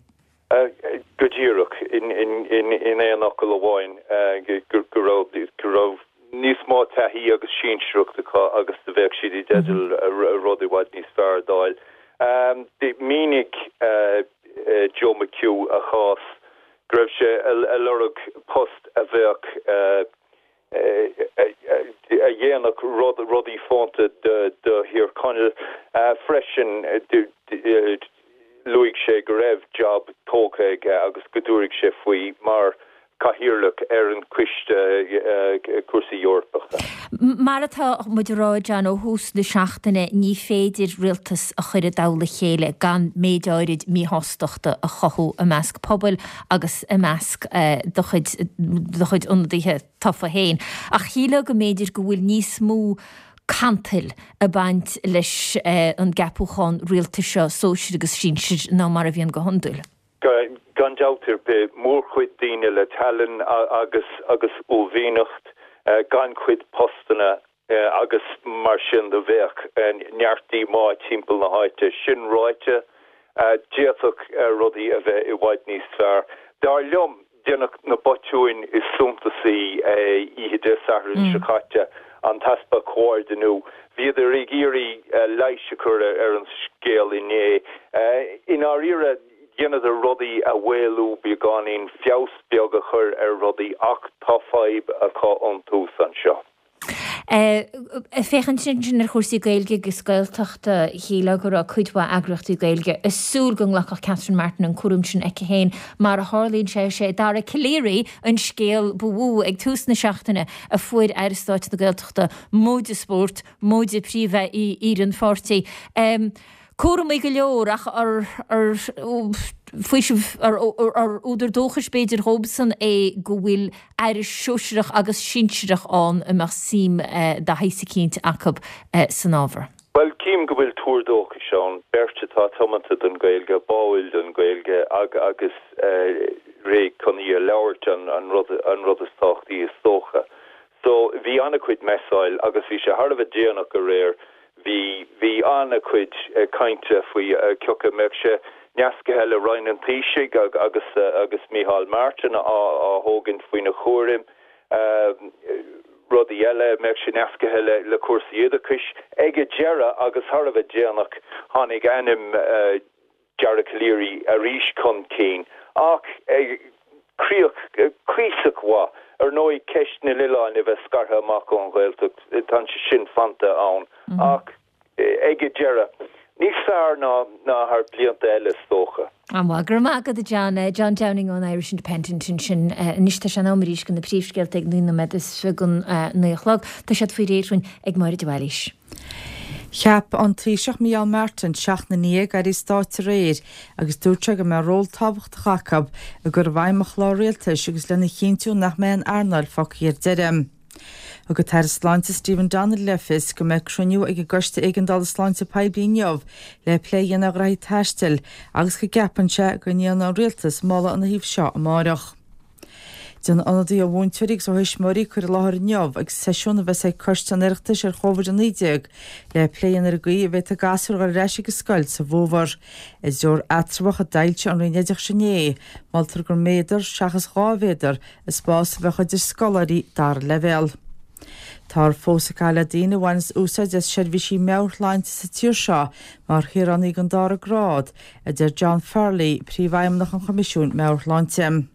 Go díreach, in aon fhocal amháin, go raibh níos mó taithí agus sinsearacht acu agus do bheadh siad i dteideal rud i bhfad níos fearr d'fháil. Mhínigh Joe McHugh a chás go raibh sé ag lorg post a bheadh a dhéanfadh rudaí fónta do Thír Chonaill. Freisin, luaigh sé go raibh jab tógtha aige agus go dtabharfadh sé faoi mar. Cathaoirleach ar an Choiste Cúrsaí Eorpacha. Mar atá muid a rá, John, ó thús na seachtaine, ní féidir rialtas a chur i dtoll a chéile gan méid áirid míshástachta a chothú i measc pobail agus i measc do chuid do chuid ionadaithe tofa féin. Ach shílfeá go mb'fhéidir go bhfuil níos mó cantail ag baint leis an gceapúchán rialtais seo, sóisir agus sinsir, ná mar a bhíonn go hiondúil. Gan dabht ar bith, mórchuid daoine le tallann agus agus uaillmhianacht, gannchuid postanna agus mar sin de bheadh neart díomá timpeall na háite. Sin ráite, d'fhéadfadh rudaí a bheith i bhfad níos fearr. Dar liom, Deineadh na botúin is suntasaí oíche Dé Sathairn seo caite, an t-easpa comhordiniú. Bhíodar ag iarraidh leigheas a chur ar an scéal inné. I ndáiríre, dheineadar rudaí a mhaolú beagáinín, feabhas beag a chur ar rudaí ach tá fadhb acu ón tús anseo. Ag féachaint ansin ar chúrsaí Gaeilge agus Gaeltachta, shílfeá go raibh cuid mhaith eagraíochtaí Gaeilge ag súil go nglacfadh Catherine Martin an cúram sin aici féin. Mar a tharlaíonn sé, is é Dara Calleary an scéal ba mhó ag tús na seachtaine a fuair Aire Stáit na Gaeltachta, móide spórt, móide príomh-aoire an pháirtí. Cúramaí go leor ach ar faoiseamh, ar údar dóchais b'fhéidir dhóibhsan é go bhfuil aire sóisearach agus sinsearach ann a mbeadh suim de shaghas eicínt acu san ábhar. Bhuel, cím go bhfuil tuar dóchais ann, beirt atá tiomanta don Ghaeilge, báúil don Ghaeilge agus réidh chun í a labhairt an rud is tábhachtaí is dócha. So, bhí an-chuid messáil agus bhí sé thar a bheith déanach aréir Bhí, bhí an-chuid cainte faoi cioca mbeadh sé nascaithe le Roinn an Taoisigh agus, agus Micheál Martin á, á thógaint faoina chúram. Rudaí eile, mbeadh sé nascaithe le, le cúrsaí oideachais. Ag an deireadh, agus thar a bheith déanach, tháinig ainm Dara Calleary arís chun cinn, ach críoch cuíosach mhaith. Ar ndóigh, ceist na n-oileán a bheith scartha amach ón Ghaeltacht, tá sé sin fanta ann, ach ag an deireadh, níos fearr ná thar blianta eile, is dócha. An-mhaith. Go raibh maith agat, a John. John Downing ón Irish Independent ansin. Anois tá sé in am arís do na príomhscéalta ag 19 nóiméad don 9 a chlog. Tá siad faoi réir dhúinn ag Máire de Bhailís. Cheap an Taoiseach Micheál Martin seachtain ina dhiaidh airí stáit aréir agus dúirt sé go mbeadh ról tábhachtach acu i gcur i bhfeidhm an chláir rialtais agus lena chinntiú nach mbeidh an earnáil fágtha ar deireadh. Thug an tAire Sláinte Stephen Donnelly le fios go mbeidh cruinniú ag an gCoiste Éigeandála Sláinte Poiblí inniu le plé a dhéanamh ar ghraithí taistil agus go gceapann sé go ndéanfaidh an Rialtas moladh ina thaobh seo amárach. Déanfaidh ionadaithe ó mhúinteoirí agus ó thuismitheoirí cur i láthair inniu ag seisiún a bheas ag Coiste an Oireachtais ar Chóivid-19 le plé a dhéanamh ar an gcaoi a bhféadfaidh gasúir a dhul ar ais ag an scoil sa bhfómhar. I dtreoir eatramhach a d'fhoilsigh an Roinn Oideachais inné, moltar gur méadar seachas 2 mhéadar an spás a bheadh idir scoláirí dara leibhéal. Táthar fós ag caitheamh le daoine a bhaineas úsáid as seirbhísí meabhairshláinte sa tír seo mar shaoránaigh den dara grád, a deir John Farrelly, Príomhfheidhmeannach an Choimisiúin Meabhair-Shláinte.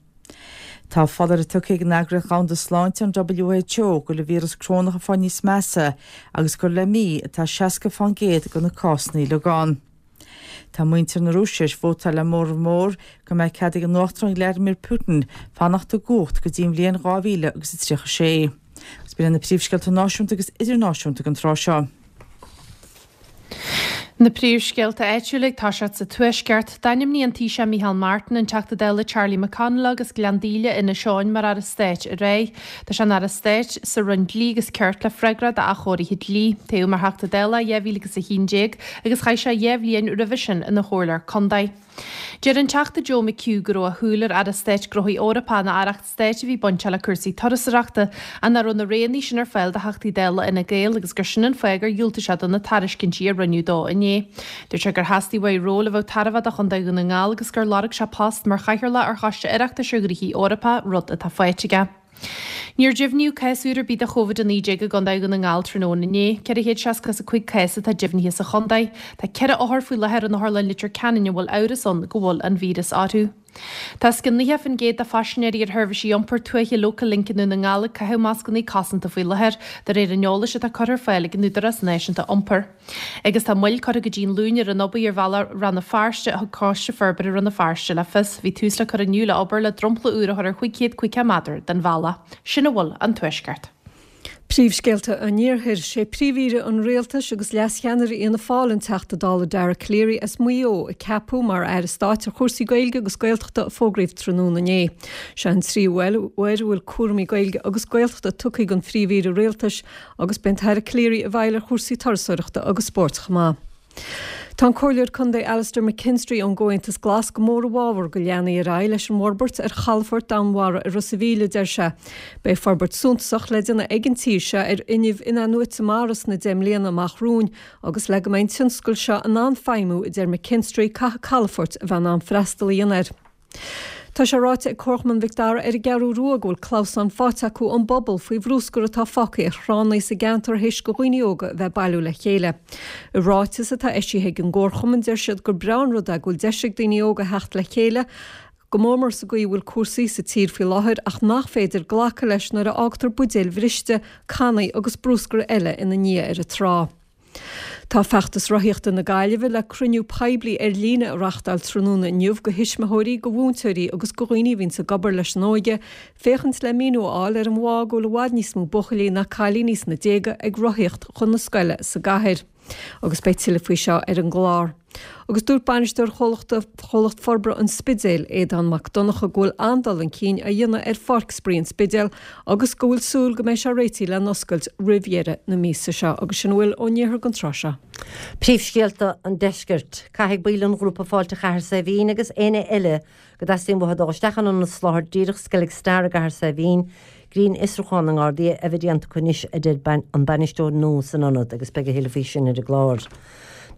Tá foláireamh tugtha ag an Eagraíocht Dhomhanda Sláinte, an WHO, go bhfuil an víreas corónach ag fáil níos measa agus gur le mí atá 60% de na cásanna uilig ann. Tá muintir na Rúise tar éis vótáil le móramh mór go mbeidh cead ag an Uachtarán Vladimir Putin fanacht i gcumhacht go dtí an bhliain 2036. Agus b'in iad na príomhscéalta náisiúnta agus idirnáisiúnta don tráth seo. Na príomhscéalta áitiúla ag toiseacht sa Tuaisceart. D'ainmnigh an Taoiseach Micheál Martin an Teachta Dála Charlie McConalogue as Gleann Díle, Inis Eoghain mar Aire Stáit aréir. Tá sé ina Aire Stáit sa Roinn Dlí agus Cirt le freagracht d'athchóirithe dlí. Toghadh mar Theachta Dála é i 2011 agus chaith sé 2 bhliain roimhe sin ina chomhairleoir contae. Deir an Teachta Joe McHugh go raibh a shúil ar Aire Stáit Gnóthaí Eorpacha nó aireacht stáit a bhí bainteach le cúrsaí turasóireachta ach nach raibh na roghanna sin ar fáil do Theachtaí Dála Fhine Gael agus gur sin an fáth gur dhiúltaigh sé do na tairiscintí a rinneadh dó inné. Dúirt sé gur theastaigh uaidh ról a bheadh tairbheach do Chontae Dhún na nGall agus gur lorg sé post mar chathaoirleach ar Choiste Oireachtais ar Ghnoithí Eorpacha, rud atá faighte aige. Níor deimhníodh cás úr ar bith de Covid-19 i gContae Dhún na nGall tráthnóna inné. 465 cás atá deimhnithe sa chontae. Tá 4 othar faoi láthair in Otharlann Leitir Ceanainn a bhfuil amhras ann go bhfuil an víreas orthu. Tá os cionn 90% de phaisinéirí ar sheirbhísí iompair tuaithe Local Link i nDún na nGall ag caitheamh mascanna cosanta faoi láthair, de réir an eolais atá curtha ar fáil ag an Údarás Náisiúnta Iompair. Agus tá moill curtha go dtí an Luan ar an obair ar bhealach Rann na Feirste, a thug Coiste Forbartha Rann na Feirste le fios. Bhí tús le cur inniu le obair le dromchla úr a chur ar 550 méadar den bhealach. Sin a bhfuil ón Tuaisceart. Príomhscéalta an Iarthair, Sé Príomh-Aoire an Rialtais agus Leas-Cheannaire Fhianna Fáil an Teachta Dála Dara Calleary as Maigh Eo a ceapadh mar Aire Stáit ar chúrsaí Gaeilge agus Gaeltachta a fógraíodh tráthnóna inné. Seo an tríú uair a bhfuil cúraimí Gaeilge agus Gaeltachta tugtha don Phríomh-Aoire Rialtais agus beidh an tAire Calleary i bhfeighil ar chúrsaí turasóireachta agus spóirt chomh maith. Tá an Comhairleoir Contae Alastair McKinstry ón gComhaontas Glas go mór i bhfabhar go leanfaí ar aghaidh leis an bhforbairt ar chalafort Danmhair i Ros a' Mhíl, a deir sé. Beidh forbairt suntasach le déanamh ag an tír seo ar fhuinneamh in-athnuaite mara sna 10 mbliana amach romhainn agus le go mbeidh an tionscal seo in ann feidhmiú, a deir McKinstry, caithfidh calafoirt a bheith in ann freastal a dhéanamh air. Tá sé ráite ag Comharchumann Mhic Dara ar an gCeathrú Rua go bhfuil clamhsán faighte acu ón bpobal faoi bhrúscar atá fágtha ar thránna sa gceantar théis do dhaoine óga a bheith ag bailiú le chéile. I ráiteas atá eisithe ag an gcomharchumann deir siad gur breá an rud é go bhfuil deis ag daoine óga theacht le chéile, go mór mór sa gcaoi a bhfuil cúrsaí sa tír faoi láthair ach nach féidir glacadh leis nuair a fhágtar buidéil bhriste, cannaí agus brúscar eile ina ndiaidh ar an trá. Tá Feachtas Rothaíochta na Gaillimhe le cruinniú poiblí ar líne a reachtáil tráthnóna inniu do thuismitheoirí, do mhúinteoirí agus do dhaoine a bhíonns ag obair leis an óige, féachaint le míniú a fháil ar an bhfáth go bhfuil i bhfad níos mó buachaillí ná cailíní sna déaga ag rothaíocht chun na scoile sa gcathair. Agus beidh tuilleadh faoi seo ar an gclár. Agus dúirt bainisteoir chomhlachta Chomhlacht Forbartha an Spidéil, Aodán Mac Donncha, go bhfuil an-dul chun cinn á dhéanamh ar Pháirc Spraoi an Spidéil agus go bhfuil súil go mbeidh sé réitithe le n-oscailt roimh dheireadh na míosa seo. Agus sin a bhfuil ón iarthar don tráth seo. Príomhscéalta an Deiscirt. Caithfidh baill an ghrúpa Fáilte Chathair Saidhbhín agus éinne eile go dteastaíonn uathu dul isteach in ionad soláthair díreach Skellig Star i gCathair Saidhbhín, grinnfhiosrúchán na nGardaí a bheith déanta acu anois, a deir an bainisteoir nua san ionad agus beidh a thuilleadh faoi sin ar an gclár.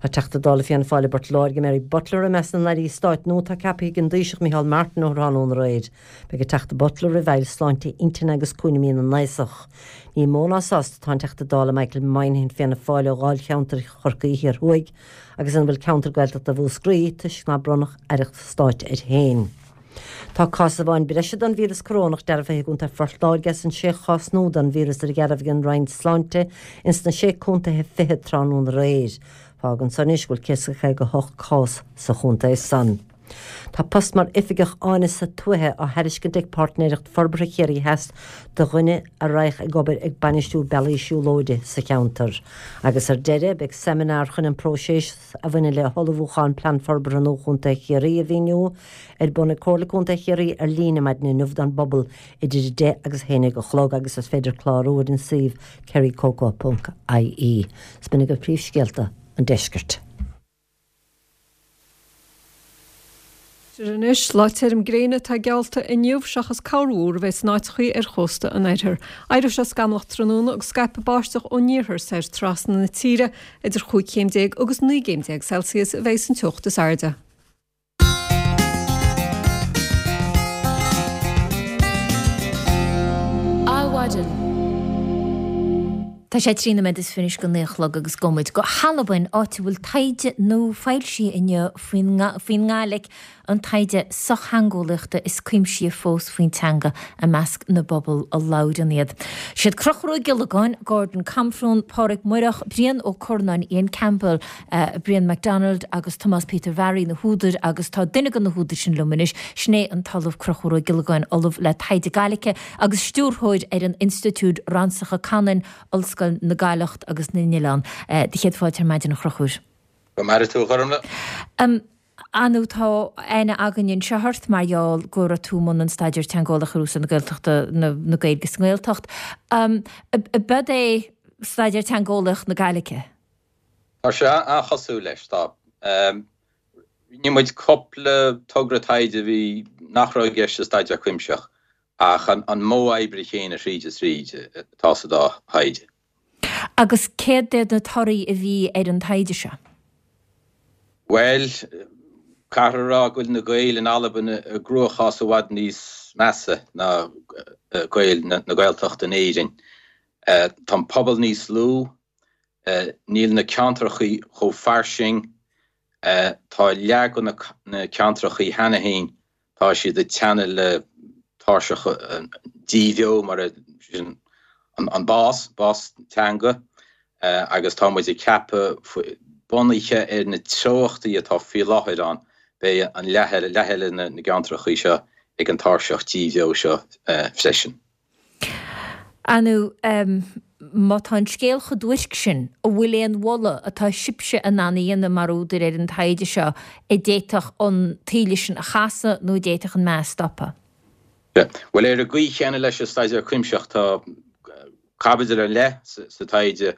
Tá Teachta Dála Fianna Fáil i bPort Láirge, Mary Butler, i measc na n-airí stáit nua atá ceaptha ag an Taoiseach Micheál Martin ó thráthnóna aréir. Beidh an Teachta Butler i bhfeighil sláinte intinne agus cúraimí na n-aosach. Ní mó ná sásta atá an Teachta Dála Michael Moynihan Fianna Fáil ó dháilcheantar Chorcaí Thiar Thuaidh agus ina bhfuil ceantar Gaeltachta Mhúscraí toisc nár bronnadh aireacht stáit air féin. Tá cás amháin breise den víreas corónach dearbhaithe i gContae Phort Láirge as an sé chás nua den víreas a dhearbhaigh an Roinn Sláinte ins na sé contaetha fichead tráthnóna aréir. Fágann san anois go bhfuil 158 cás sa chontae san. Tá post mar Oifigeach Áineasa Tuaithe á thairiscint ag Páirtnéireacht Forbartha Chiarraí Theas do dhuine a raghadh ag obair ag bainistiú bealaí siúlóide sa cheantar. Agus ar deireadh, beidh seimineár chun an próiseas a bhaineann le hullmhúchán Plean Forbartha nua Chontae Chiarraí a mhíniú, ar bun ag Comhairle Contae Chiarraí ar líne maidin inniu don bpobal idir 10 agus 11 a chlog agus is féidir clárú ar an suíomh kerrycoco.ie. Is b'in agaibh príomhscéalta an deiscirt. Anois, lá tirim gréine atá geallta inniu seachas corrmhúr a bheidh in áiteachaí ar chósta an oirthir. Éireoidh sé scamallach tráthnóna agus scaipfidh báisteach ón iarthar soir trasna na tíre. Idir 15 chéim agus 19 gcéim Celsius a bheidh an teocht is airde. Adhmhaidin. Tá sé 13 nóiméad is go 9 a chlog agus gabhfaidh muid go hAlbain, áit a bhfuil taighde nua foilsithe inniu faoin nGàidhlig, an taighde sochtheangeolaíochta is cuimsithí fós faoin teanga i measc na bpobal a labhrann iad. Siad Conchúr Ó Giollagáin, Gordon Camfrún, Pàdruig Moireach, Brian Ó Curnáin, Iain Campbell, Brian MacDonald agus Tomás Peter Bharry na húdair agus tá duine de na húdair sin liom anois, sin é an tOllamh Conchúr Ó Giollagáin, Ollamh le Taighde Gaidhlige agus Stiúrthóir ar an Institiúid Ransacha Canann, Ollscoil na Gaidhleacht agus na nOileán. Do chéad fáilte ar maidin a Chonchúir. Go maire tú a Ghormfhlaith. Ar ndóigh tá aithne againn anseo ort mar gheall go raibh tú i mbun an staidéir teangeolaíoch ar úsáid na Gaeltachta, na Gaeilge sa nGaeltacht. Ab é staidéar teangeolaíoch na Gaidhlige? Tá sé an-chosúil leis, tá. Rinne muid cúpla togra taighde a bhí, nach raibh i gceist sa staidéar cuimsitheach, ach an modh oibre chéanna thríd is thríd atá sa dá thaighde. Agus céard iad na torthaí a bhí ar an taighde seo? Bhuel, caithfear a rá go bhfuil na Gaeil in Albain i gcruachás i bhfad níos measa ná Gaeil na Gaeltachta in Éirinn. Tá an pobal níos lú, níl na ceantrachaí chomh fairsing, tá leath de na ceantrachaí cheana féin. Tá siad ag teannadh le tairseach díbheo mar sin an bás, bás teanga, agus tá muid ag ceapadh, bunaithe ar na treochtaí atá faoi láthair ann, beidh an leath eile, leath eile na gceantrachaí seo ag an tairseach díbheo seo freisin. Ar ndóigh, má tá an scéal chomh duairc sin, an bhfuil aon mholadh atá sibhse in ann a dhéanamh mar údair ar an taighde seo a d'fhéadfadh an taoille sin a chasadh nó a d'fhéadfadh an meath a stopadh? Bhuel, ar an gcaoi chéanna leis an staidéar cuimsitheach, tá caibidil ar leith sa taighde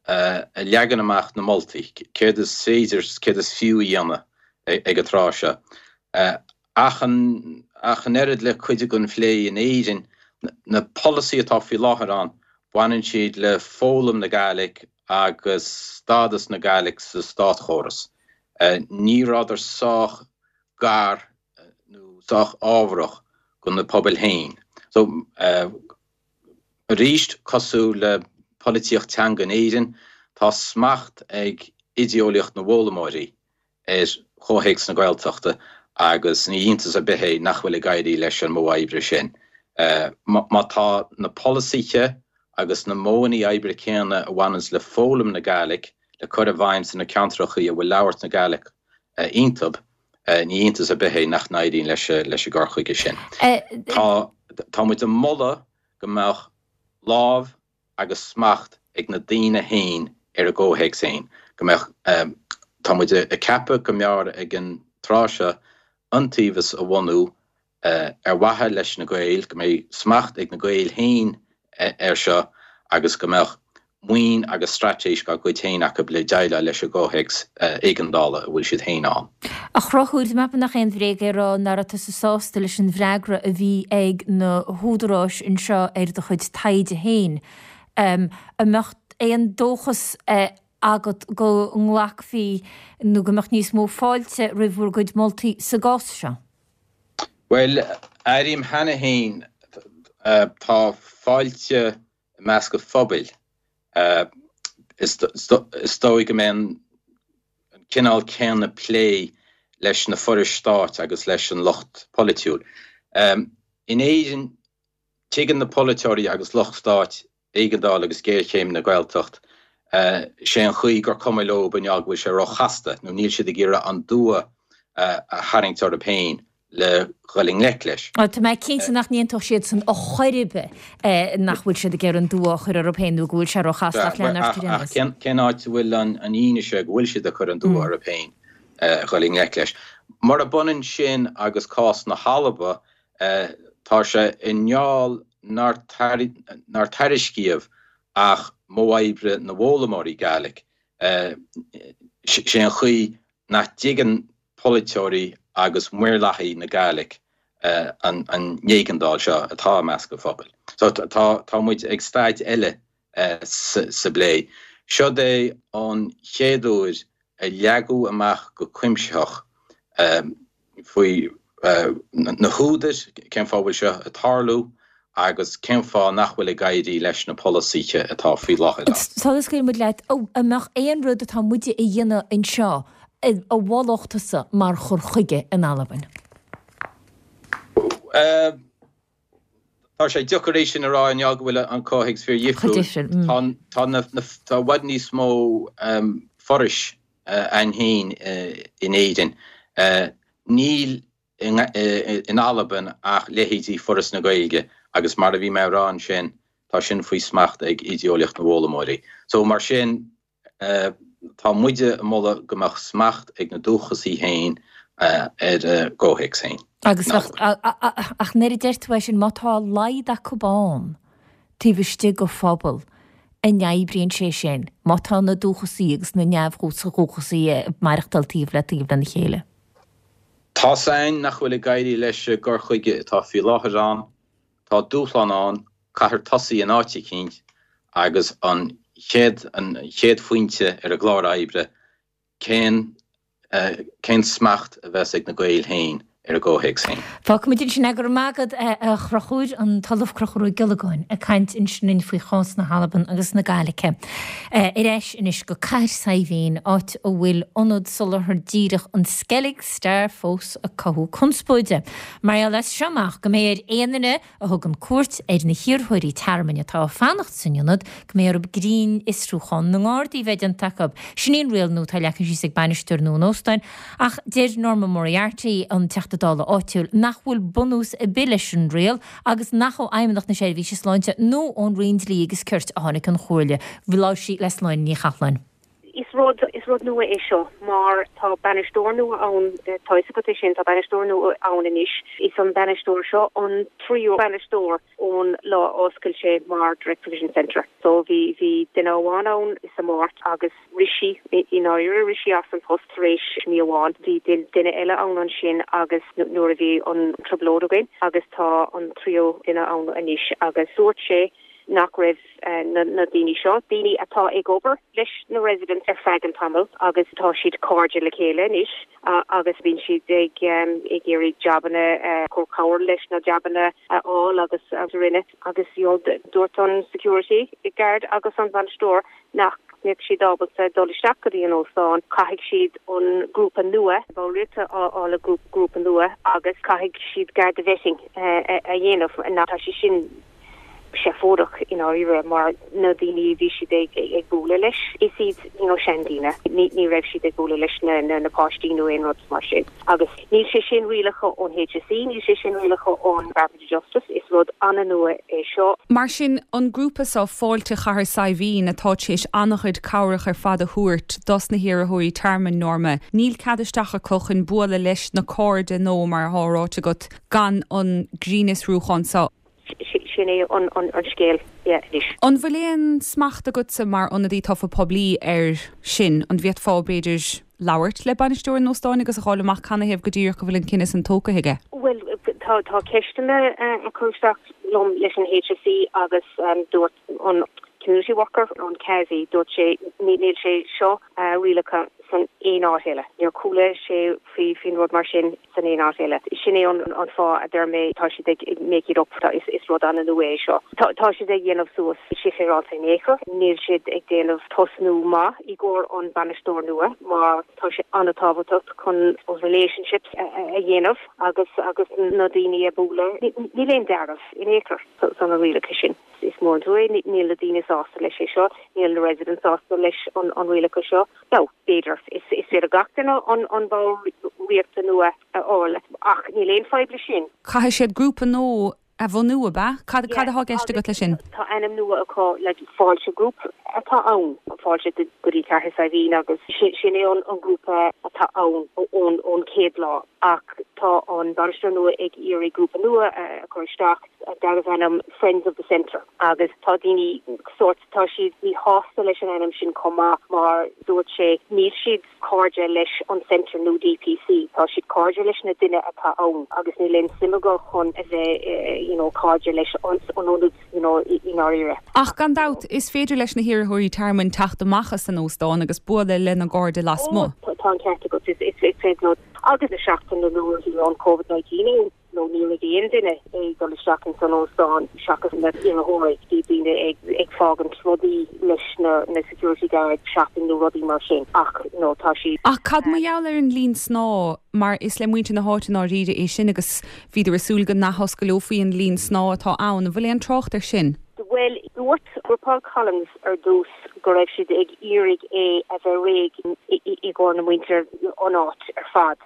a leagann amach na moltaí, céard is féidir, céard is fiú a dhéanamh ag an tráth seo. Ach an ach an oiread le cuid den phlé in Éirinn, na polasaithe atá faoi láthair ann, baineann siad le foghlaim na Gàidhlig agus stádas na Gàidhlig sa státchóras. Ní rabhadar sách gar nó sách ábharach do na pobail féin. So, arís, cosúil le polaitíocht teanga in Éirinn, tá smacht ag idéolaíocht na bhfoghlaimeoirí ar chomhthéacs na Gaeltachta agus ní iontas ar bith é nach bhfuil ag éirí leis an modh oibre sin. Má tá na polasaithe agus na modhanna oibre céanna a bhaineanns le foghlaim na Gàidhlig le cur i bhfeidhm sna ceantrachaí a bhfuil labhairt na Gàidhlig iontub, ní iontas ar bith é nach n-éiríonn leis an gcur chuige sin. Tá tá muid ag moladh go mbeadh lámh agus smacht ag na daoine féin ar a gcomhthéacs féin, go mbeadh, tá muid ag ceapadh go mb'fhearr ag an tráth seo iontaobhas a bhunú ar mhaithe leis na Gaeil, go mbeidh smacht ag na Gaeil féin air seo agus go mbeadh maoin agus straitéis dá gcuid féin acu le déileáil leis an gcomhthéacs éigeandála a bhfuil siad féin ann. A Chonchúir, tá mé ag ceapadh nach aon bhréag é a rá nach raibh tusa sásta leis an bhfreagra a bhí ag na húdaráis anseo ar do chuid taighde féin. An mbeadh aon dóchas agat go nglacfaí nó go mbeadh níos mó fáilte roimh bhur gcuid moltaí sa gcás seo? Bhuel, airím cheana féin, tá fáilte i measc an phobail. Is dóigh go mbeidh an cineál céanna plé leis na forais stáit agus leis an lucht polaitiúil. In Éirinn, tuigeann na polaiteoirí agus lucht stáit éigeandáil agus géarchéim na Gaeltacht. Sé an chaoi gur cuma leo i ngeall go bhfuil sé róchasta nó níl siad ag iarraidh an dua a tharraingt orthu féin le dhul i ngleic leis. Tá mé cinnte nach n-aontódh siadsan ar chor ar bith nach bhfuil siad ag iarraidh an dua a chur orthu féin nó go bhfuil sé róchasta ach lean ort ar aon nós. Ach cén áit a bhfuil an fhianaise go bhfuil siad ag cur an dua orthu féin dhul i ngleic leis? Murab ionann sin agus cás na hAlba, tá sé i ngeall nár tairiscíodh ach modh oibre na bhfoghlaimeoirí Gàidhlig. Sé an chaoi nach dtuigeann polaiteoirí agus maorlathaigh na Gàidhlig an éigeandáil seo atá i measc an phobail. So tá tá muid ag staid eile sa bplé. Seod é an chéad uair a leagadh amach go cuimsitheach faoi na húdair, cén fáth a bhfuil seo ag tarlú agus cén fáth nach bhfuil ag éirí leis na polasaithe atá faoi láthair ann. Sula scaoilfidh muid leat, an mbeadh aon rud atá muide a dhéanamh anseo a mholfadh tusa mar chur chuige in Albain? Tá sé deacair é sin a rá i ngeall go bhfuil an comhthéacs fíor-dhifriúil. Tá tá i bhfad níos mó forais ann féin in Éirinn. Níl in Albain ach leithéidí Foras na Gaeilge agus mar a bhí mé a rá ansin, tá sin faoi smacht ag idéolaíocht na bhfoghlaimeoirí. So mar sin, tá muide ag moladh go mbeadh smacht ag na dúchasaigh féin ar a gcomhthéacs féin. Agus ach nuair a deir tú é sin, má tá a laghad acu ann taobh istigh de phobal, an oibríonn sé sin, má tá na dúchasaigh agus na neamhdhúchasaigh ag maireachtáil taobh le taobh lena chéile? Tá's a'inn nach bhfuil ag éirí leis an gcur chuige atá faoi láthair ann. Tá dúshlán ann, caithfear tosaí in áit eicínt agus an chéad an chéad phointe ar an gclár oibre, cén cén smacht a bheas ag na Gaeil féin. Ar a gcomhthéacs féin. Fágfaimid ansin é. Go raibh maith agat, a Chonchúir, an tOllamh Conchúr Ó Giollagáin ag caint ansin linn faoi chás na hAlban agus na Gaeilge. Ar ais anois go Cathair Saidhbhín, áit a bhfuil ionad soláthair díreach an Skellig Star fós ag cothú conspóide. Mar gheall as seo amach go mbeidh ar aon duine a thugann cuairt ar na hiarrthóirí tearmainn atá ag fanacht san ionad go mbeidh orthu grinnfhiosrúchán na nGardaí a bheith déanta acu. Sin í an riail nua atá leagtha síos ag bainisteoir nua an óstáin ach deir Norma Moriarty, an Teachta Dála áitiúil, nach bhfuil bunús ar bith leis an riail agus nach ó Fheidhmeannacht na Seirbhíse Sláinte nó ón Roinn Dlí agus Cirt a tháinig an chomhairle. Labhair sí le Sláine Ní Chathalláin. Is rud, is rud nua é seo mar tá bainisteoir nua ann, tá fhios agat é sin, tá bainisteoir nua ann anois. Is an bainisteoir seo an tríú bainisteoir ón lá a oscail sé mar Direct Provision Centre. So bhí, bhí duine amháin ann sa Mháirt agus rith sí, i ndáiríre, rith sí as an post tar éis mí amháin. Bhí duine eile ann ansin agus nuair a bhí an trioblóid againn agus tá an tríú duine ann anois agus dúirt sé nach raibh na daoine seo, daoine atá ag obair leis na residents ar feadh an tamaill agus tá siad cairde le chéile anois agus bíonn siad ag ag iarraidh jabanna, cur cabhair leis na jabanna a fháil agus a rinne agus you know dúirt an security guard agus an bainisteoir nach mbeadh siad ábalta dul isteach go dtí an óstán, caithfidh siad an grúpa nua, ballraíocht a fháil le grúpa nua agus caithfidh siad Garda vetting a dhéanamh, tá sé sin. seafóideach i ndáiríre mar na daoine a bhí siad ag bualadh leis, is iad you know seandaoine, ní raibh siad ag bualadh leis na na páistí nó aon rud mar sin. Agus níl sé sin rialacha ón HSE, níl sé sin rialacha ón Department of Justice, is rud an-nua é seo. Mar sin, an grúpa seo, Fáilte Chathair Saidhbhín, atá tar éis an-chuid cabhrach ar fad a thabhairt dos na hiarrthóirí tearmainn, Norma, níl cead isteach acu chun bualadh leis na cairde nó, mar atá ráite agat, gan an grinnfhiosrúchán seo. Sin é an scéal, yeah, anois. An bhfuil aon smacht agatsa mar ionadaí tofa poiblí air sin? An bhféadfá, b'fhéidir, labhairt le bainisteoir an óstáin agus a dh'fháil amach canathaobh go díreach go bhfuil an cinneadh san tógtha aige? Bhuel, tá tá ceisteanna á cur isteach liom leis an HSE agus dúirt an community worker, an Kazi, dúirt sé níl sé seo rialacha san aon áit eile. Níor chuala sé faoi faoin rud mar sin san aon áit eile. Sin é an fáth a deir mé tá siad ag make it up. Is rud an-nua é seo. Tá siad ag dhéanamh suas sé féaráilte in aon chor. Níl siad ag déanamh tosnú maith i gcomhair an bainisteoir nua mar tá sé an-tábhachtach chun relationships a dhéanamh agus agus na daoine a bualadh. Níl aon dealramh in aon chor san na rialacha sin. Is mór an trua é, níl na daoine sásta leis é seo, níl na residents sásta leis an rialacha seo. Now, b'fhéidir, is féidir gach duine an bhallraíocht nua a fháil, ach níl aon fadhb leis sin. Caithfidh siad grúpa nua a bhunú, ab ea? Cad cad atá i gceist agat leis sin? Tá ainm nua acu, like Fáilte Group atá ann, Fáilte go dtí Cathair Saidhbhín agus sin é an grúpa atá ann ón chéad lá. Ach tá an bainisteoir nua ag iarraidh grúpa nua a chur isteach darbh ainm Friends of the Centre agus tá daoine sórt, tá siad míshásta leis an ainm sin chomh maith mar dúirt sé níl siad cairde leis an Centre nó DPC, tá siad cairde leis na duine atá ann agus níl aon suim acu chun a bheith you know cairde leis an ionad you know i ndáiríre. Ach gan dabht, is féidir leis na hiarrthóirí tearmainn teacht amach as an óstán agus bualadh lena gcairde lasmuigh. Ó, tá an ceart agat, is féidir leo agus na seachtain na nuair a bhí an Covid-19 ann. nó ní raibh aon duine ag dul isteach ins an óstán seachas na hiarrthóirí. Bhí daoine ag ag fágaint rudaí leis na na security guards, shopping nó rudaí mar sin ach no tá siad. Ach cad mar gheall ar an linn snámha, mar is le muintir na háite i ndáiríre é sin agus bhíodar ag súil go n-athoscaileofaí an linn snámha atá ann. An bhfuil aon trácht air sin? Bhuel, dúirt Paul Collins ar dtús go raibh siad ag iarraidh é a bheith réidh i gcomhair na muintir an áit ar fad.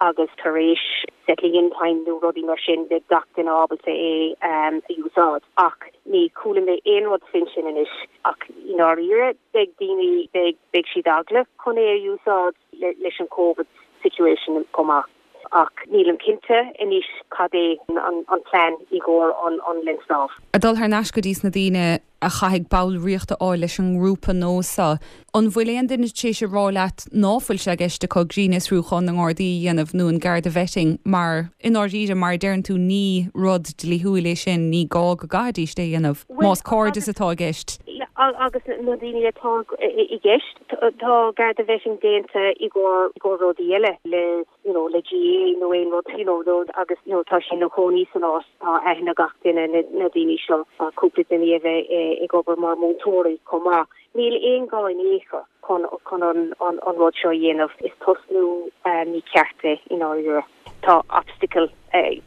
agus tar éis settling in time nó rudaí mar sin beidh gach duine ábalta é a úsáid. Ach ní chuala mé aon rud faoin sin anois ach i ndáiríre beidh daoine, beidh, beidh siad eagla chun é a úsáid leis an Covid situation chomh maith. Ach nílim cinnte anois cad é an plean i gcomhair an linn snámh. Ag dul thar n-ais go dtí sna daoine a chaithfidh ballraíocht a fháil leis an ngrúpa nua seo. An bhfuil aon duine tar éis a rá leat ná fuil sé i gceist acu grinnfhiosrúchán na nGardaí a dhéanamh nó an Garda vetting mar, i ndáiríre, mar a deireann tú, ní rud dlíthiúil é sin, ní gá go gcaithfidíst é a dhéanamh más cairdeas atá i gceist. agus na daoine atá i gceist, tá Garda vetting déanta i gcomhair rudaí eile le you know le GAA nó aon rud you know agus you know tá sé ina chónaí san áit, tá aithne ag gach duine na daoine seo, cúpla duine a bheith ag obair mar múinteoirí chomh maith. Níl aon gá in aon chor chun chun an an rud seo a dhéanamh. Is tosnú mícheart é i ndáiríre. Tá obstacle,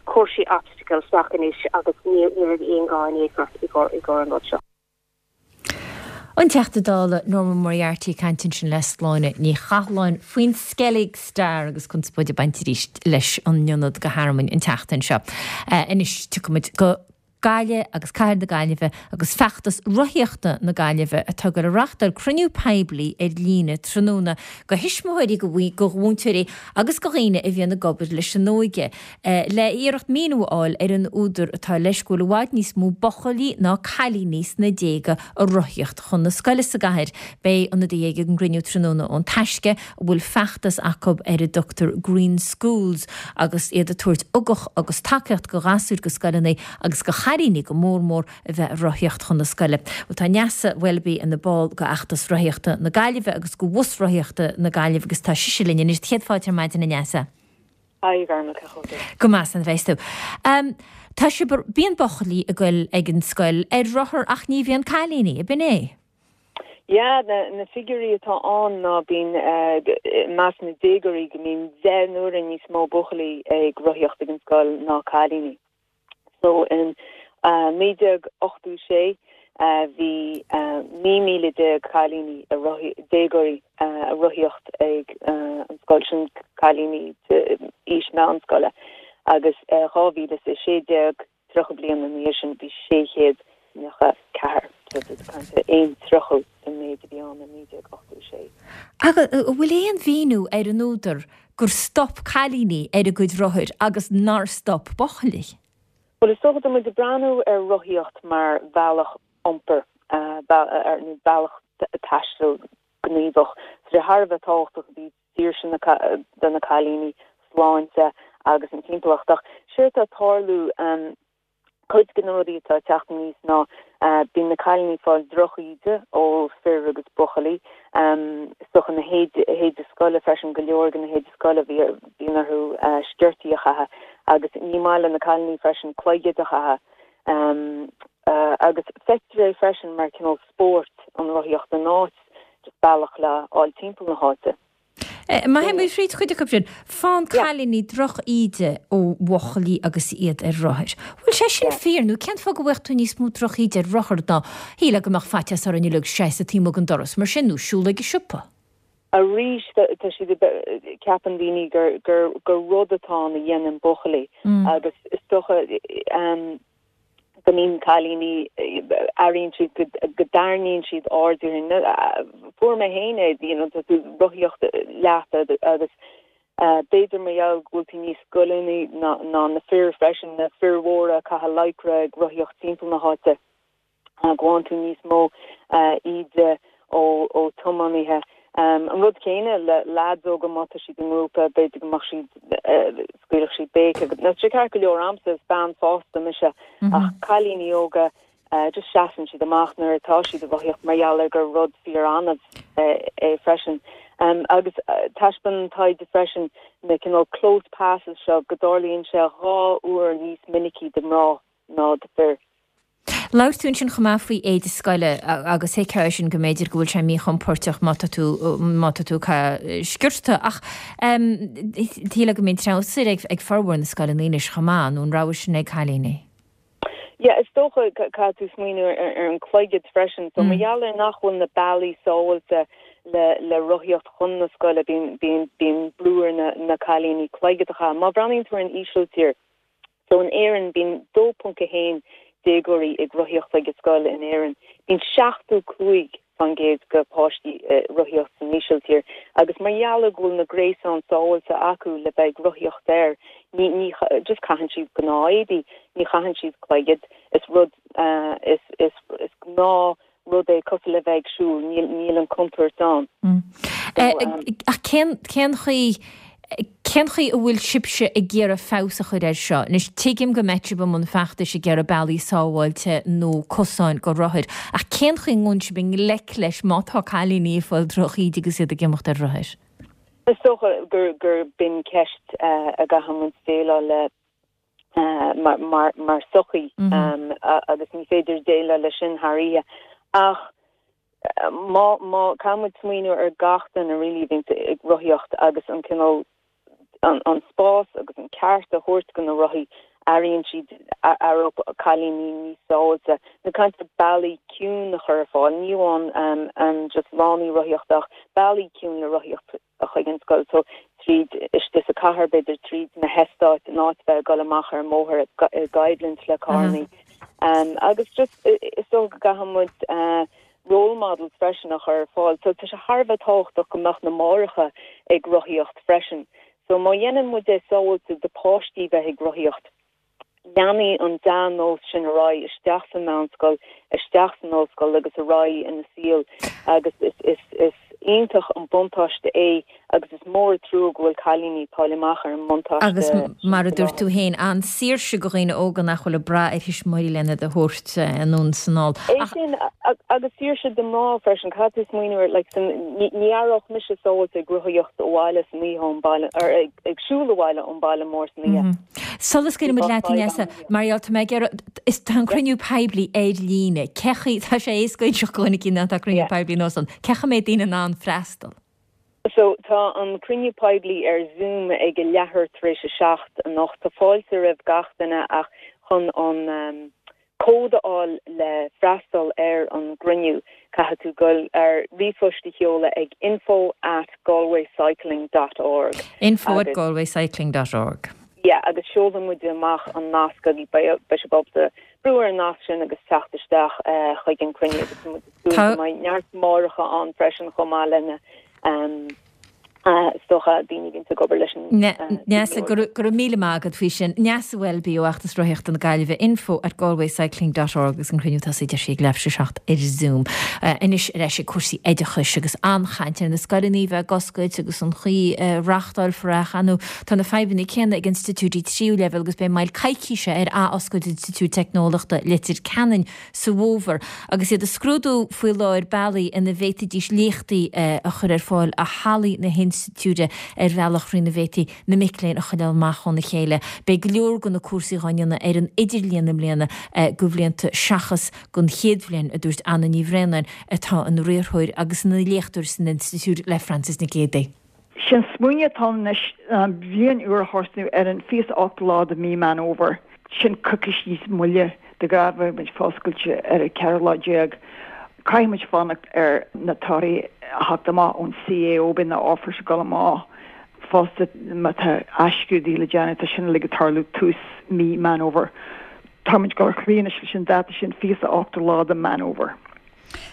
chuir sé obstacle isteach anois agus ní raibh aon ghá in aon chor i gcomhair an rud seo. An Teachta Dála Norma Moriarty ag caint ansin le Sláine Ní Chathalláin faoin Skellig Star agus conspóid ag baint arís leis an ionad go Thearmainn an tseachtain seo. Anois tiocfaimid go Gaillimh agus Cathair na Gaillimhe agus feachtas rothaíochta na Gaillimhe atá ag goil a reachtáil cruinniú poiblí ar líne tráthnóna go thuismitheoirí, go mhúinteoirí agus go dhaoine a bhíonn ag obair leis an óige le iarracht míniú a fháil ar an údar atá leis go bhfuil i bhfad níos mó buachaillí ná cailíní sna déaga ag rothaíocht chun na scoile sa gcathair. Beidh ionadaithe ag an gcruinniú tráthnóna ón Taisce a bhfuil feachtas acu ar a dtugtar Green Schools agus iad ag tabhairt ugach agus tacaíocht go ghasúir, go scoileanna agus go chailíní go mór mór a bheith ag rothaíocht chun na scoile. Bhuel tá Neasa Welby ina ball go fheachtas rothaíochta na Gaillimhe agus go Bhus Rothaíochta na Gaillimhe agus tá sise linn anois. Céad fáilte ar maidin a Neasa. Haigh a Ghormail, cén chaoi a bhfuil tú? Go maith, slán a bheas tú. Tá sibh, bíonn buachaillí ag goil ag an scoil ar rothar ach ní bhíonn cailíní, ab in é? Yeah, na figiúirí atá ann ná bíonn i measc na déagóirí go mbíonn 10 n-uaire níos mó buachaillí ag rothaíocht ag an scoil ná cailíní. So in 1986 bhí 19 míle cailíní ag rothaí, déagóirí ag rothaíocht ag an scoil, sin cailíní d'aois meánscoile agus 2016 30 bliain ina dhiaidh sin bhí 694, so tá tú ag caint ar aon tríochú den méid a bhí ann i 1986. Ach an bhfuil aon mhíniú ar an údar gur stop cailíní ar a gcuid rothair agus nár stop buachaillí? Bhuel, is dócha, tá muid ag breathnú ar rothaíocht mar bhealach iompair, nó bealach taistil gníomhach. Tá sé thar a bheith tábhachtach i dtaobh saoirse na do na cailíní, sláinte agus an timpeallacht. Ach séard atá ag tarlú, cuid de na rudaí atá ag teacht aníos ná bíonn na cailíní ag fáil drochíde ó fir agus buachaillí. Is dócha na héide scoile freisin, go leor de na héide scoile bíonn orthu sciortaí a chaitheamh agus ní maith le na cailíní freisin cloigid a chaitheamh. Agus feictear é freisin mar cineál spóirt, an rothaíocht in áit just bealach le fháil timpeall na háite. Má théimid fríd chuid acu sin, faigheann cailíní droch-íde ó bhuachaillí agus iad ar rothair. Bhfuil sé sin fíor nó cén fáth go bhfaigheadh tú níos mó droch-íde ar rothar ná shílfeá go mbeadh faitíos orainn uilig seasamh taobh amuigh den doras mar sin nó siúl ag an siopa? Arís, tá siad, ceapann daoine gur, gur, gur rud atá ann a dhéanann buachaillí agus is dócha, go mbíonn cailíní, airíonn siad go dtarraingíonn siad aird orthu. Fuair mé féin é, you know, tá tú ag rothaíocht leat agus b'fhéidir mar gheall go bhfuil tú níos goilliúnaí ná na fir freisin, na fir mhóra ag caitheamh lycra ag rothaíocht timpeall na háite. go bhfaigheann tú níos mó íde ó tiománaithe. An rud céanna le leaids óga, má tá siad i ngrúpa, b'fhéidir go mbeadh siad, scaoilfeadh siad béic agus, tá sé ceart go leor a'msa, is bean fásta mise, ach cailíní óga, just seasann siad amach nuair atá siad ag rothaíocht mar gheall ar gur rud fíor-annamh é freisin. Agus taispeánann taighde freisin na cineál close passes seo go dtarlaíonn sé 2 uair níos minicí do mná ná do fir. Labhair tú ansin chomh maith faoi éide scoile agus thuigfeá é sin go mb'fhéidir go bhfuil sé míchompóirteach má tá tú má tá tú ag caitheamh sciorta ach shílfeá go mbíonn treabhsair ag ag formhór na scoileanna anois chomh maith nó an rogha sin ag cailíní. Yeah, is dócha caithfidh tú smaoineamh ar ar an cloigead freisin. So mar gheall ar nach bhfuil na bealaí sábháilte le le rothaíocht chun na scoile bíonn bíonn bíonn brú ar na na cailíní cloigead a chaitheamh. Má bhreathnaíonn tú ar an Ísiltír, So in Éirinn bíonn 2.1 déagóirí ag rothaíocht chuig an scoil in Éirinn. Bíonn 75% de páistí ag rothaíocht san Ísiltír agus mar gheall ar go bhfuil na gréasáin sábháilte acu le bheith ag rothaíocht air ní ní just caitheann siad gnáth-éadaí, ní chaitheann siad cloigead. Is rud is is is gnáth rud é cosúil le bheith ag siúl, níl níl an contúirt ann. Ach cén cén chaoi. Cén chaoi a bhfuil sibhse ag iarraidh feabhas a chur air seo? Anois, tuigim go mbeidh sibh i mbun feachtais ag iarraidh bealaí sábháilte nó cosáin go rothair, ach cén chaoi a ngabhann sibh i ngleic leis má tá cailíní ag fáil drochíde agus iad ag imeacht ar rothair? Is dócha gur gur b'in ceist a gcaithfidh muid déileáil le mar mar sochaí agus ní féidir déileáil leis sin thar oíche. Ach má má caithfidh muid smaoineamh ar gach duine really a bhíonns ag rothaíocht agus an cineál an an spás agus an ceart a thabhairt go na rothaí airíonn siad aireoidh cailíní níos sábháilte. Nó caint ar bealaí ciúin a chur ar fáil, ní amháin an just lánaí rothaíochta ach bealaí ciúin le rothaíocht chuig an scoil so tríd istigh sa cathair b'fhéidir tríd na heastáit in áit bheith ag dul amach ar an mbóthar i gcoimhlint le carrannaí. Agus just is dócha go gcaithfidh muid role models freisin a chur ar fáil. So tá sé thar a bheith tábhachtach go mbeadh na máithreacha ag rothaíocht freisin. So má dhéanann muid é sábháilte do páistí bheith ag rothaíocht, leanfaidh an dea-nós sin ar aghaidh isteach sa mheánscoil, isteach san ollscoil agus ar aghaidh ina saol agus is iontach an buntáiste é agus is mór an trua go bhfuil cailíní ag fáil amach ar an mbuntáiste Agus mar a dúirt tú féin, an-saoirse go dhaoine óga nach bhfuil ag brath ar thuismitheoirí lena iad a thabhairt anonn is anall. É sin agus saoirse do mná freisin, caithfidh tú smaoineamh ar like san, ní aireodh mise sábháilte ag rothaíocht abhaile san oíche ón baile, or ag siúl abhaile ón baile mór san oíche. Sula scaoilimid leat, Neasa, mar gheall, tá mé ag iarraidh, is tá an cruinniú poiblí ar líne, cé chaoi, tá sé éasca inseacht go dhuine éicint tá cruinniú poiblí nó san, cé chaoi a mbeidh daoine in ann freastal? So tá an cruinniú poiblí ar Zoom ag a leathuair tar éis a 7 anocht. Tá fáilte roimh gach duine ach chun an cód a fháil le freastal ar an gcruinniú, caithfidh tú dul ar ríomhphost a sheoladh ag info at galwaycycling dot org Info at galwaycycling dot org. Yeah, agus seolfaidh muid amach an nasc agus beidh sibh ábalta brú ar an nasc sin agus teacht isteach chuig an cruinniú agus tá muid ag súil go mbeidh neart máithreacha ann freisin chomh maith lena Is dócha, daoine a bhíonns ag obair leis an Neasa, go raibh míle maith agat faoi sin. Neasa Welby ó Fheachtas Rothaíochta na Gaillimhe, info at galwaycycling dot org agus an cruinniú ag tosaí deir sí ag leathuair tar éis a 7 ar Zoom. Anois ar ais ag cúrsaí oideachais agus an-chaint ar na scoileanna a bheith ag oscailt agus an chaoi a reáchtálfar é ach ar ndóigh tá na fadhbanna céanna ag institiúidí tríú leibhéal agus beidh moill coicíse ar ath-oscailt Institiúid Teicneolaíochta Leitir Ceanainn sa bhfómhar, agus iad ag scrúdú faoi láthair bealaí ina bhféadfaidís léachtaí a chur ar fáil ó hallaí na hinstitiúide ar bhealach thrína bhféadfaí na mic léinn a choinneáil amach óna chéile. Beidh go leor de na cúrsaí dhá ndéanamh ar an idirlíon i mbliana do bhlianta seachas don chéad bhliain, a dúirt Anna Ní Bhraonáin, atá ina riarthóir agus ina léachtóir san institiúid le Frances Nic Géadaigh. Sé'n smaoineamh atá ann anois ná an bhliain úr a thosnú ar an 28ú lá de mí Meán Fhómhair. Sin coicís níos moille. De ghnáth bheadh muid foscailte ar an 14 lá. Caithfidh muid fanacht ar na torthaí a theacht amach ón CAO, beidh na offers ag dul amach fosta má tá athscrúduithe le déanamh, tá sin uilig ag tarlú tús mí Meán Fhómhair. Tá muid ag dul ar aghaidh anois leis an dáta sin, 28ú lá de Meán Fhómhair.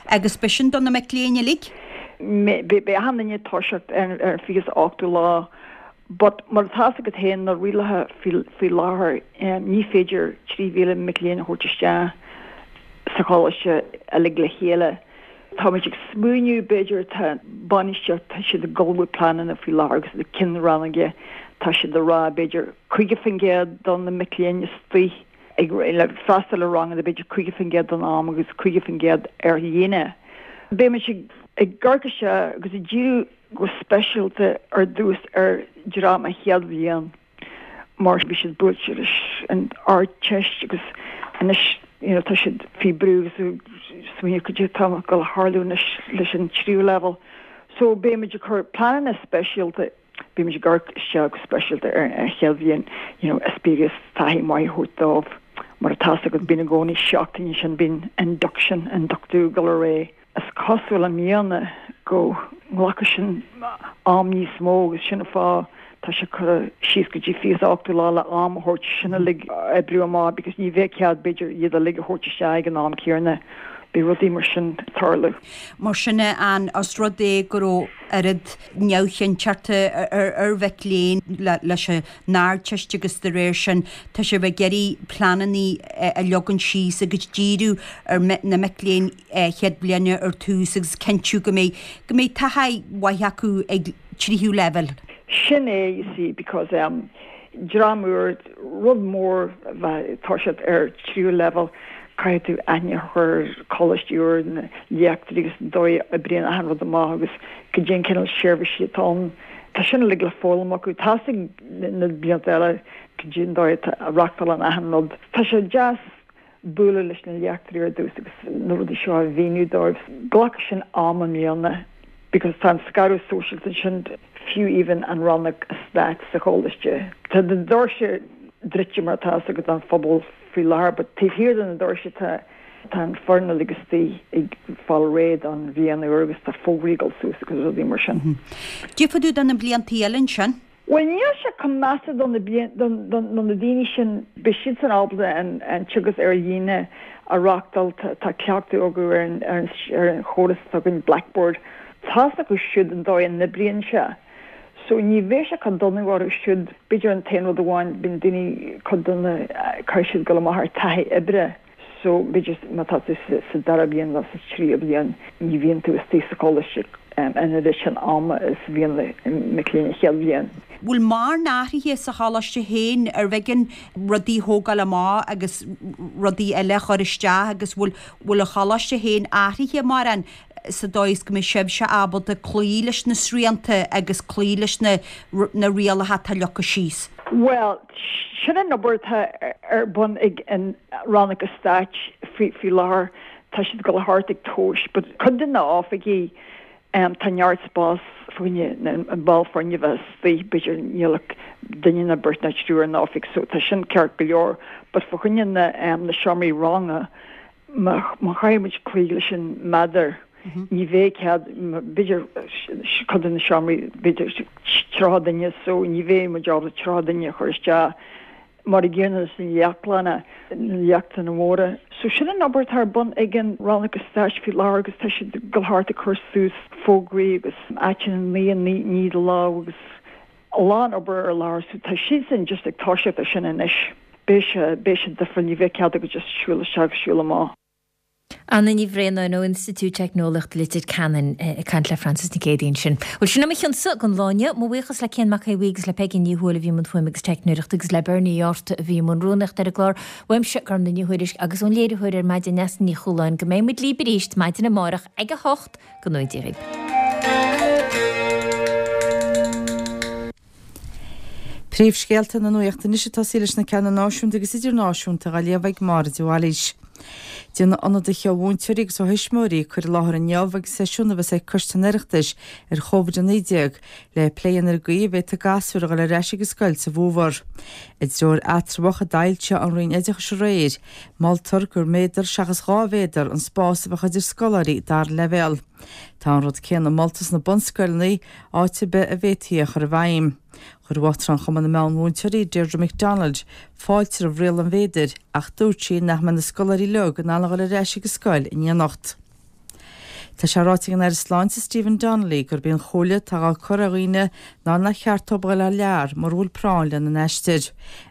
Agus beidh sin do na mic léinn uilig? Beidh achan duine ag toiseacht ar an 28ú lá but mar atá fhios agat féin na rialacha faoi láthair ní féidir 3,000 mic léinn a thabhairt isteach sa choláiste uilig le chéile. Táimid ag smaoineamh b'fhéidir tá bainistíocht tá siad ag ullmhú pleananna faoi láthair agus na cinn rannóige tá siad ag rá b'fhéidir 50% do na mic léinn istigh ag freastal ar ranganna b'fhéidir 50% den am agus 50% ar líne. Beidh muid ag amharc isteach agus ag díriú go speisialta ar dtús ar dhream an chéad bhliain mar bhí siad buailte leis an Ardteist agus anois you know tá siad faoi brú agus ag smaoineamh cad é atá ag dul a tharlú anois leis an tríú leibhéal. So beidh muid ag cur pleananna speisialta Beidh muid ag amharc isteach go speisialta ar an chéad bhliain, you know, eispéireas taithí maith a thabhairt dóibh. Mar atá fhios agat, bíonn i gcónaí seachtain ansin, bíonn induction, ionduchtú ag dul ar aghaidh. Is cosúil i mbliana go nglacfaidh sin am níos mó agus sin an fáth tá sé curtha síos go dtí 28ú lá le am a thabhairt sin uilig a oibriú amach because ní bheidh cead b'fhéidir iad uilig a thabhairt isteach ag an am céanna. Beidh rudaí mar sin ag tarlú. Mar sin an, os rud é go raibh oiread neamhchinnteachta ar mhic léinn leis an Ardteist agus de réir sin tá sibh ag iarraidh pleananna a leagan síos agus díriú ar na mic léinn chéad bhliana ar tús agus cinntiú go mbeidh go mbeidh taithí mhaith acu ag tríú leibhéal. Sin é, you see, because em, dream úr, rud mór a bheith ag toiseacht ar tríú leibhéal, caithfidh tú aithne a chur ar choláiste úr, na léachtóirí agus an dóigh a oibríonn achan rud amach agus cad é an cineál seirbhísí atá ann. Tá sin uilig le foghlaim acu. Tá a fhios ag na blianta eile cad é an dóigh a reachtálann achan rud. Tá sé deas bualadh leis na léachtóirí ar dtús agus na rudaí seo a mhíniú dóibh. Glacfaidh sin am i mbliana because tá an scaradh sóisialta ansin, fiú even an rannóg eastáit sa choláiste. Tá na doirse druidte mar atá a fhios agat don phobal faoi láthair but taobh thiar de na doirse tá tá an foireann uilig istigh ag fáil réidh don bhliain úr agus tá fógraí ag dul suas agus rudaí mar sin. Cad é fá dtaobh de na bliantaí eile ansin. Bhuel, níl sé chomh measa do na do na daoine sin, beidh siadsan ábalta an an teagasc ar líne a reachtáil, tá cleachtadh acu ar an ar an ar an chóras atá againn, Blackboard. Tá a fhios acu siúd an dóigh a n-oibríonn sé. So ní bheidh sé chomh dona orthu siúd. B'fhéidir an t-aon rud amháin, bíonn daoine, cuid de na, caithfidh siad dul amach ar taithí oibre. So, b'fhéidir má tá tú sa dara bliain nó sa tríú bliain, ní bhíonn tú istigh sa choláiste an oiread sin ama is a bhíonn na mic léinn an chéad bhliain. Bhfuil mórán athraithe sa choláiste féin? Arbh éigean rudaí a thógáil amach agus rudaí eile a chur isteach agus bhfuil bhfuil an choláiste féin athraithe mórán sa dóigh is go mbeidh sibhse ábalta cloí leis na srianta agus cloí leis na na rialacha atá leagtha síos? Bhuel, sin an obair atá ar bun ag an Rannóg Eastáit faoi láthair. Tá siad ag dul thart ag tomhais, but cuid de na oifigí tá neart spás fá choinne an ball foirne a bheith istigh, b'fhéidir níl ach duine nó beirt nó triúr in oifig so tá sin ceart go leor, but fá choinne na seomraí ranga Má chaithfidh muid cloí leis an méadar, ní bheidh cead, b'fhéidir, cuid de na seomraí, b'fhéidir 30 duine so ní bheidh muid ábalta 30 duine a chur isteach mar an gcéanna leis na léachtlanna, na léachtlanna móra. So sin an obair atá ar bun ag an Rannóg Eastáit faoi láthair agus tá siad ag dul thart ag cur suas fógraí agus áiteanna a ní do lámh agus a lán obair ar láthair so tá siadsan just ag toiseacht ar sin anois. Beidh sé, beidh sé difriúil, ní bheidh cead agat just siúl isteach agus siúl amach. Anna Ní Bhraonáin ó Institiúid Teicneolaíochta Leitir Ceanainn ag caint le Frances Nic Géadaigh ansin. Bhuel, sin é mo chionsa don lá inniu. Mo bhuíochas le Cian Mac Aodha Bhuí agus le Peigí Ní Thuathail a bhí i mbun fuaime agus teicneoireachta agus le Bernie Uí Fhátharta a bhí i mbun rúnaíochta ar an gclár. Uaimse, Gormlaith Ní Thuairisg agus ón léiritheoir ar maidin Neasa Ní Chualáin go mbeidh muid libh arís maidin amárach ag a hocht. Go ngnóthaí Dia dhaoibh. Príomhscéalta na Nuachta anois ag tosaí leis na ceanna náisiúnta agus idirnáisiúnta á léamh ag Máire de Bhailís. Déanfaidh ionadaithe ó mhúinteoirí agus ó thuismitheoirí cur i láthair inniu ag seisiún a bheas ag Coiste an Oireachtais ar Chóvid-19 le plé a dhéanamh ar an gcaoi a bhféadfadh gasúir a dhul ar ais ag an scoil sa bhfómhar. I dtreoir eatramhach a d'fhoilsigh an Roinn Oideachais aréir, Moltar gur méadar seachas 2 mhéadar an spás a bheadh idir scoláirí dara leibhéal. Tá an rud céanna molta sna bunscoileanna, áit ar bith a bhféadfaí é a chur i bhfeidhm. Chuir Uachtarán Chumann na Meánmhúinteoirí, Deirdre McDonald, fáilte roimh riail an mhéadair ach dúirt sí nach mbeidh na scoláirí uilig in ann a dhul ar ais ag an scoil in éineacht. Tá sé ráite ag an Aire Sláinte Stephen Donnelly gurb í an chomhairle atá á cur ar dhaoine ná nach cheart dóibh a dhul thar lear mura bhfuil práinn lena n-aistear.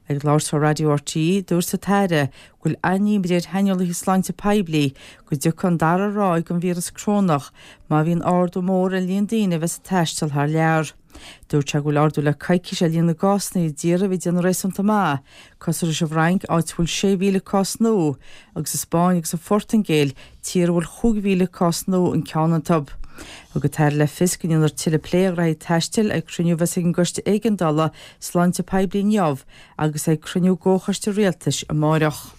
Ag labhairt do Raidió RTÉ, dúirt an tAire go bhfuil an-imní ar shaineolaithe sláinte poiblí go dtiocfaidh an dara ráig den víreas corónach má bhíonn ardú mór ar líon daoine a bheas ag taisteal thar lear. Dúirt sé go bhfuil ardú le coicís ar líon na gcásanna i dtíortha a bhí ag déanamh réasúnta maith, Cosúil leis an bhFrainc, áit a bhfuil 6,000 cás nua, agus an Spáinn agus an Phortaingéil, tír a bhfuil 5,000 cás nua an ceann iontu. Thug an tAire le fios go ndéanfar tuilleadh plé ar ghraithí taistil ag cruinniú a bheas ag an gCoiste Éigeandála Sláinte Poiblí inniu agus ag cruinniú gComhchoiste Rialtais amáireach.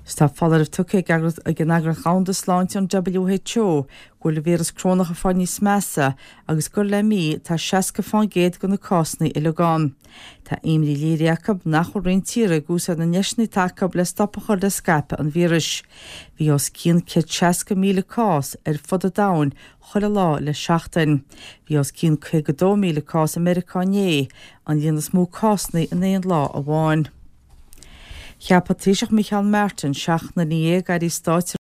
Tá foláireamh tugtha ag an Eagraíocht Dhomhanda Sláinte, an WHO, go bhfuil an víreas corónach ag fáil níos measa agus gur le mí atá 60 fán gcéad de na cásanna uilig ann. Tá imní léirithe acu nach bhfuil roinnt tíortha ag úsáid na ndeiseanna atá acu le stop a chur le scaipeadh an víris. Bhí os cionn 160,000 cás ar fud an domhain chuile lá le seachtain. Bhí os cionn 52,000 cás i Meiriceá inné, an líon is mó cásanna in aon lá amháin. Cheap an Taoiseach Micheál Martin seachtar ina dhéag airí stáit.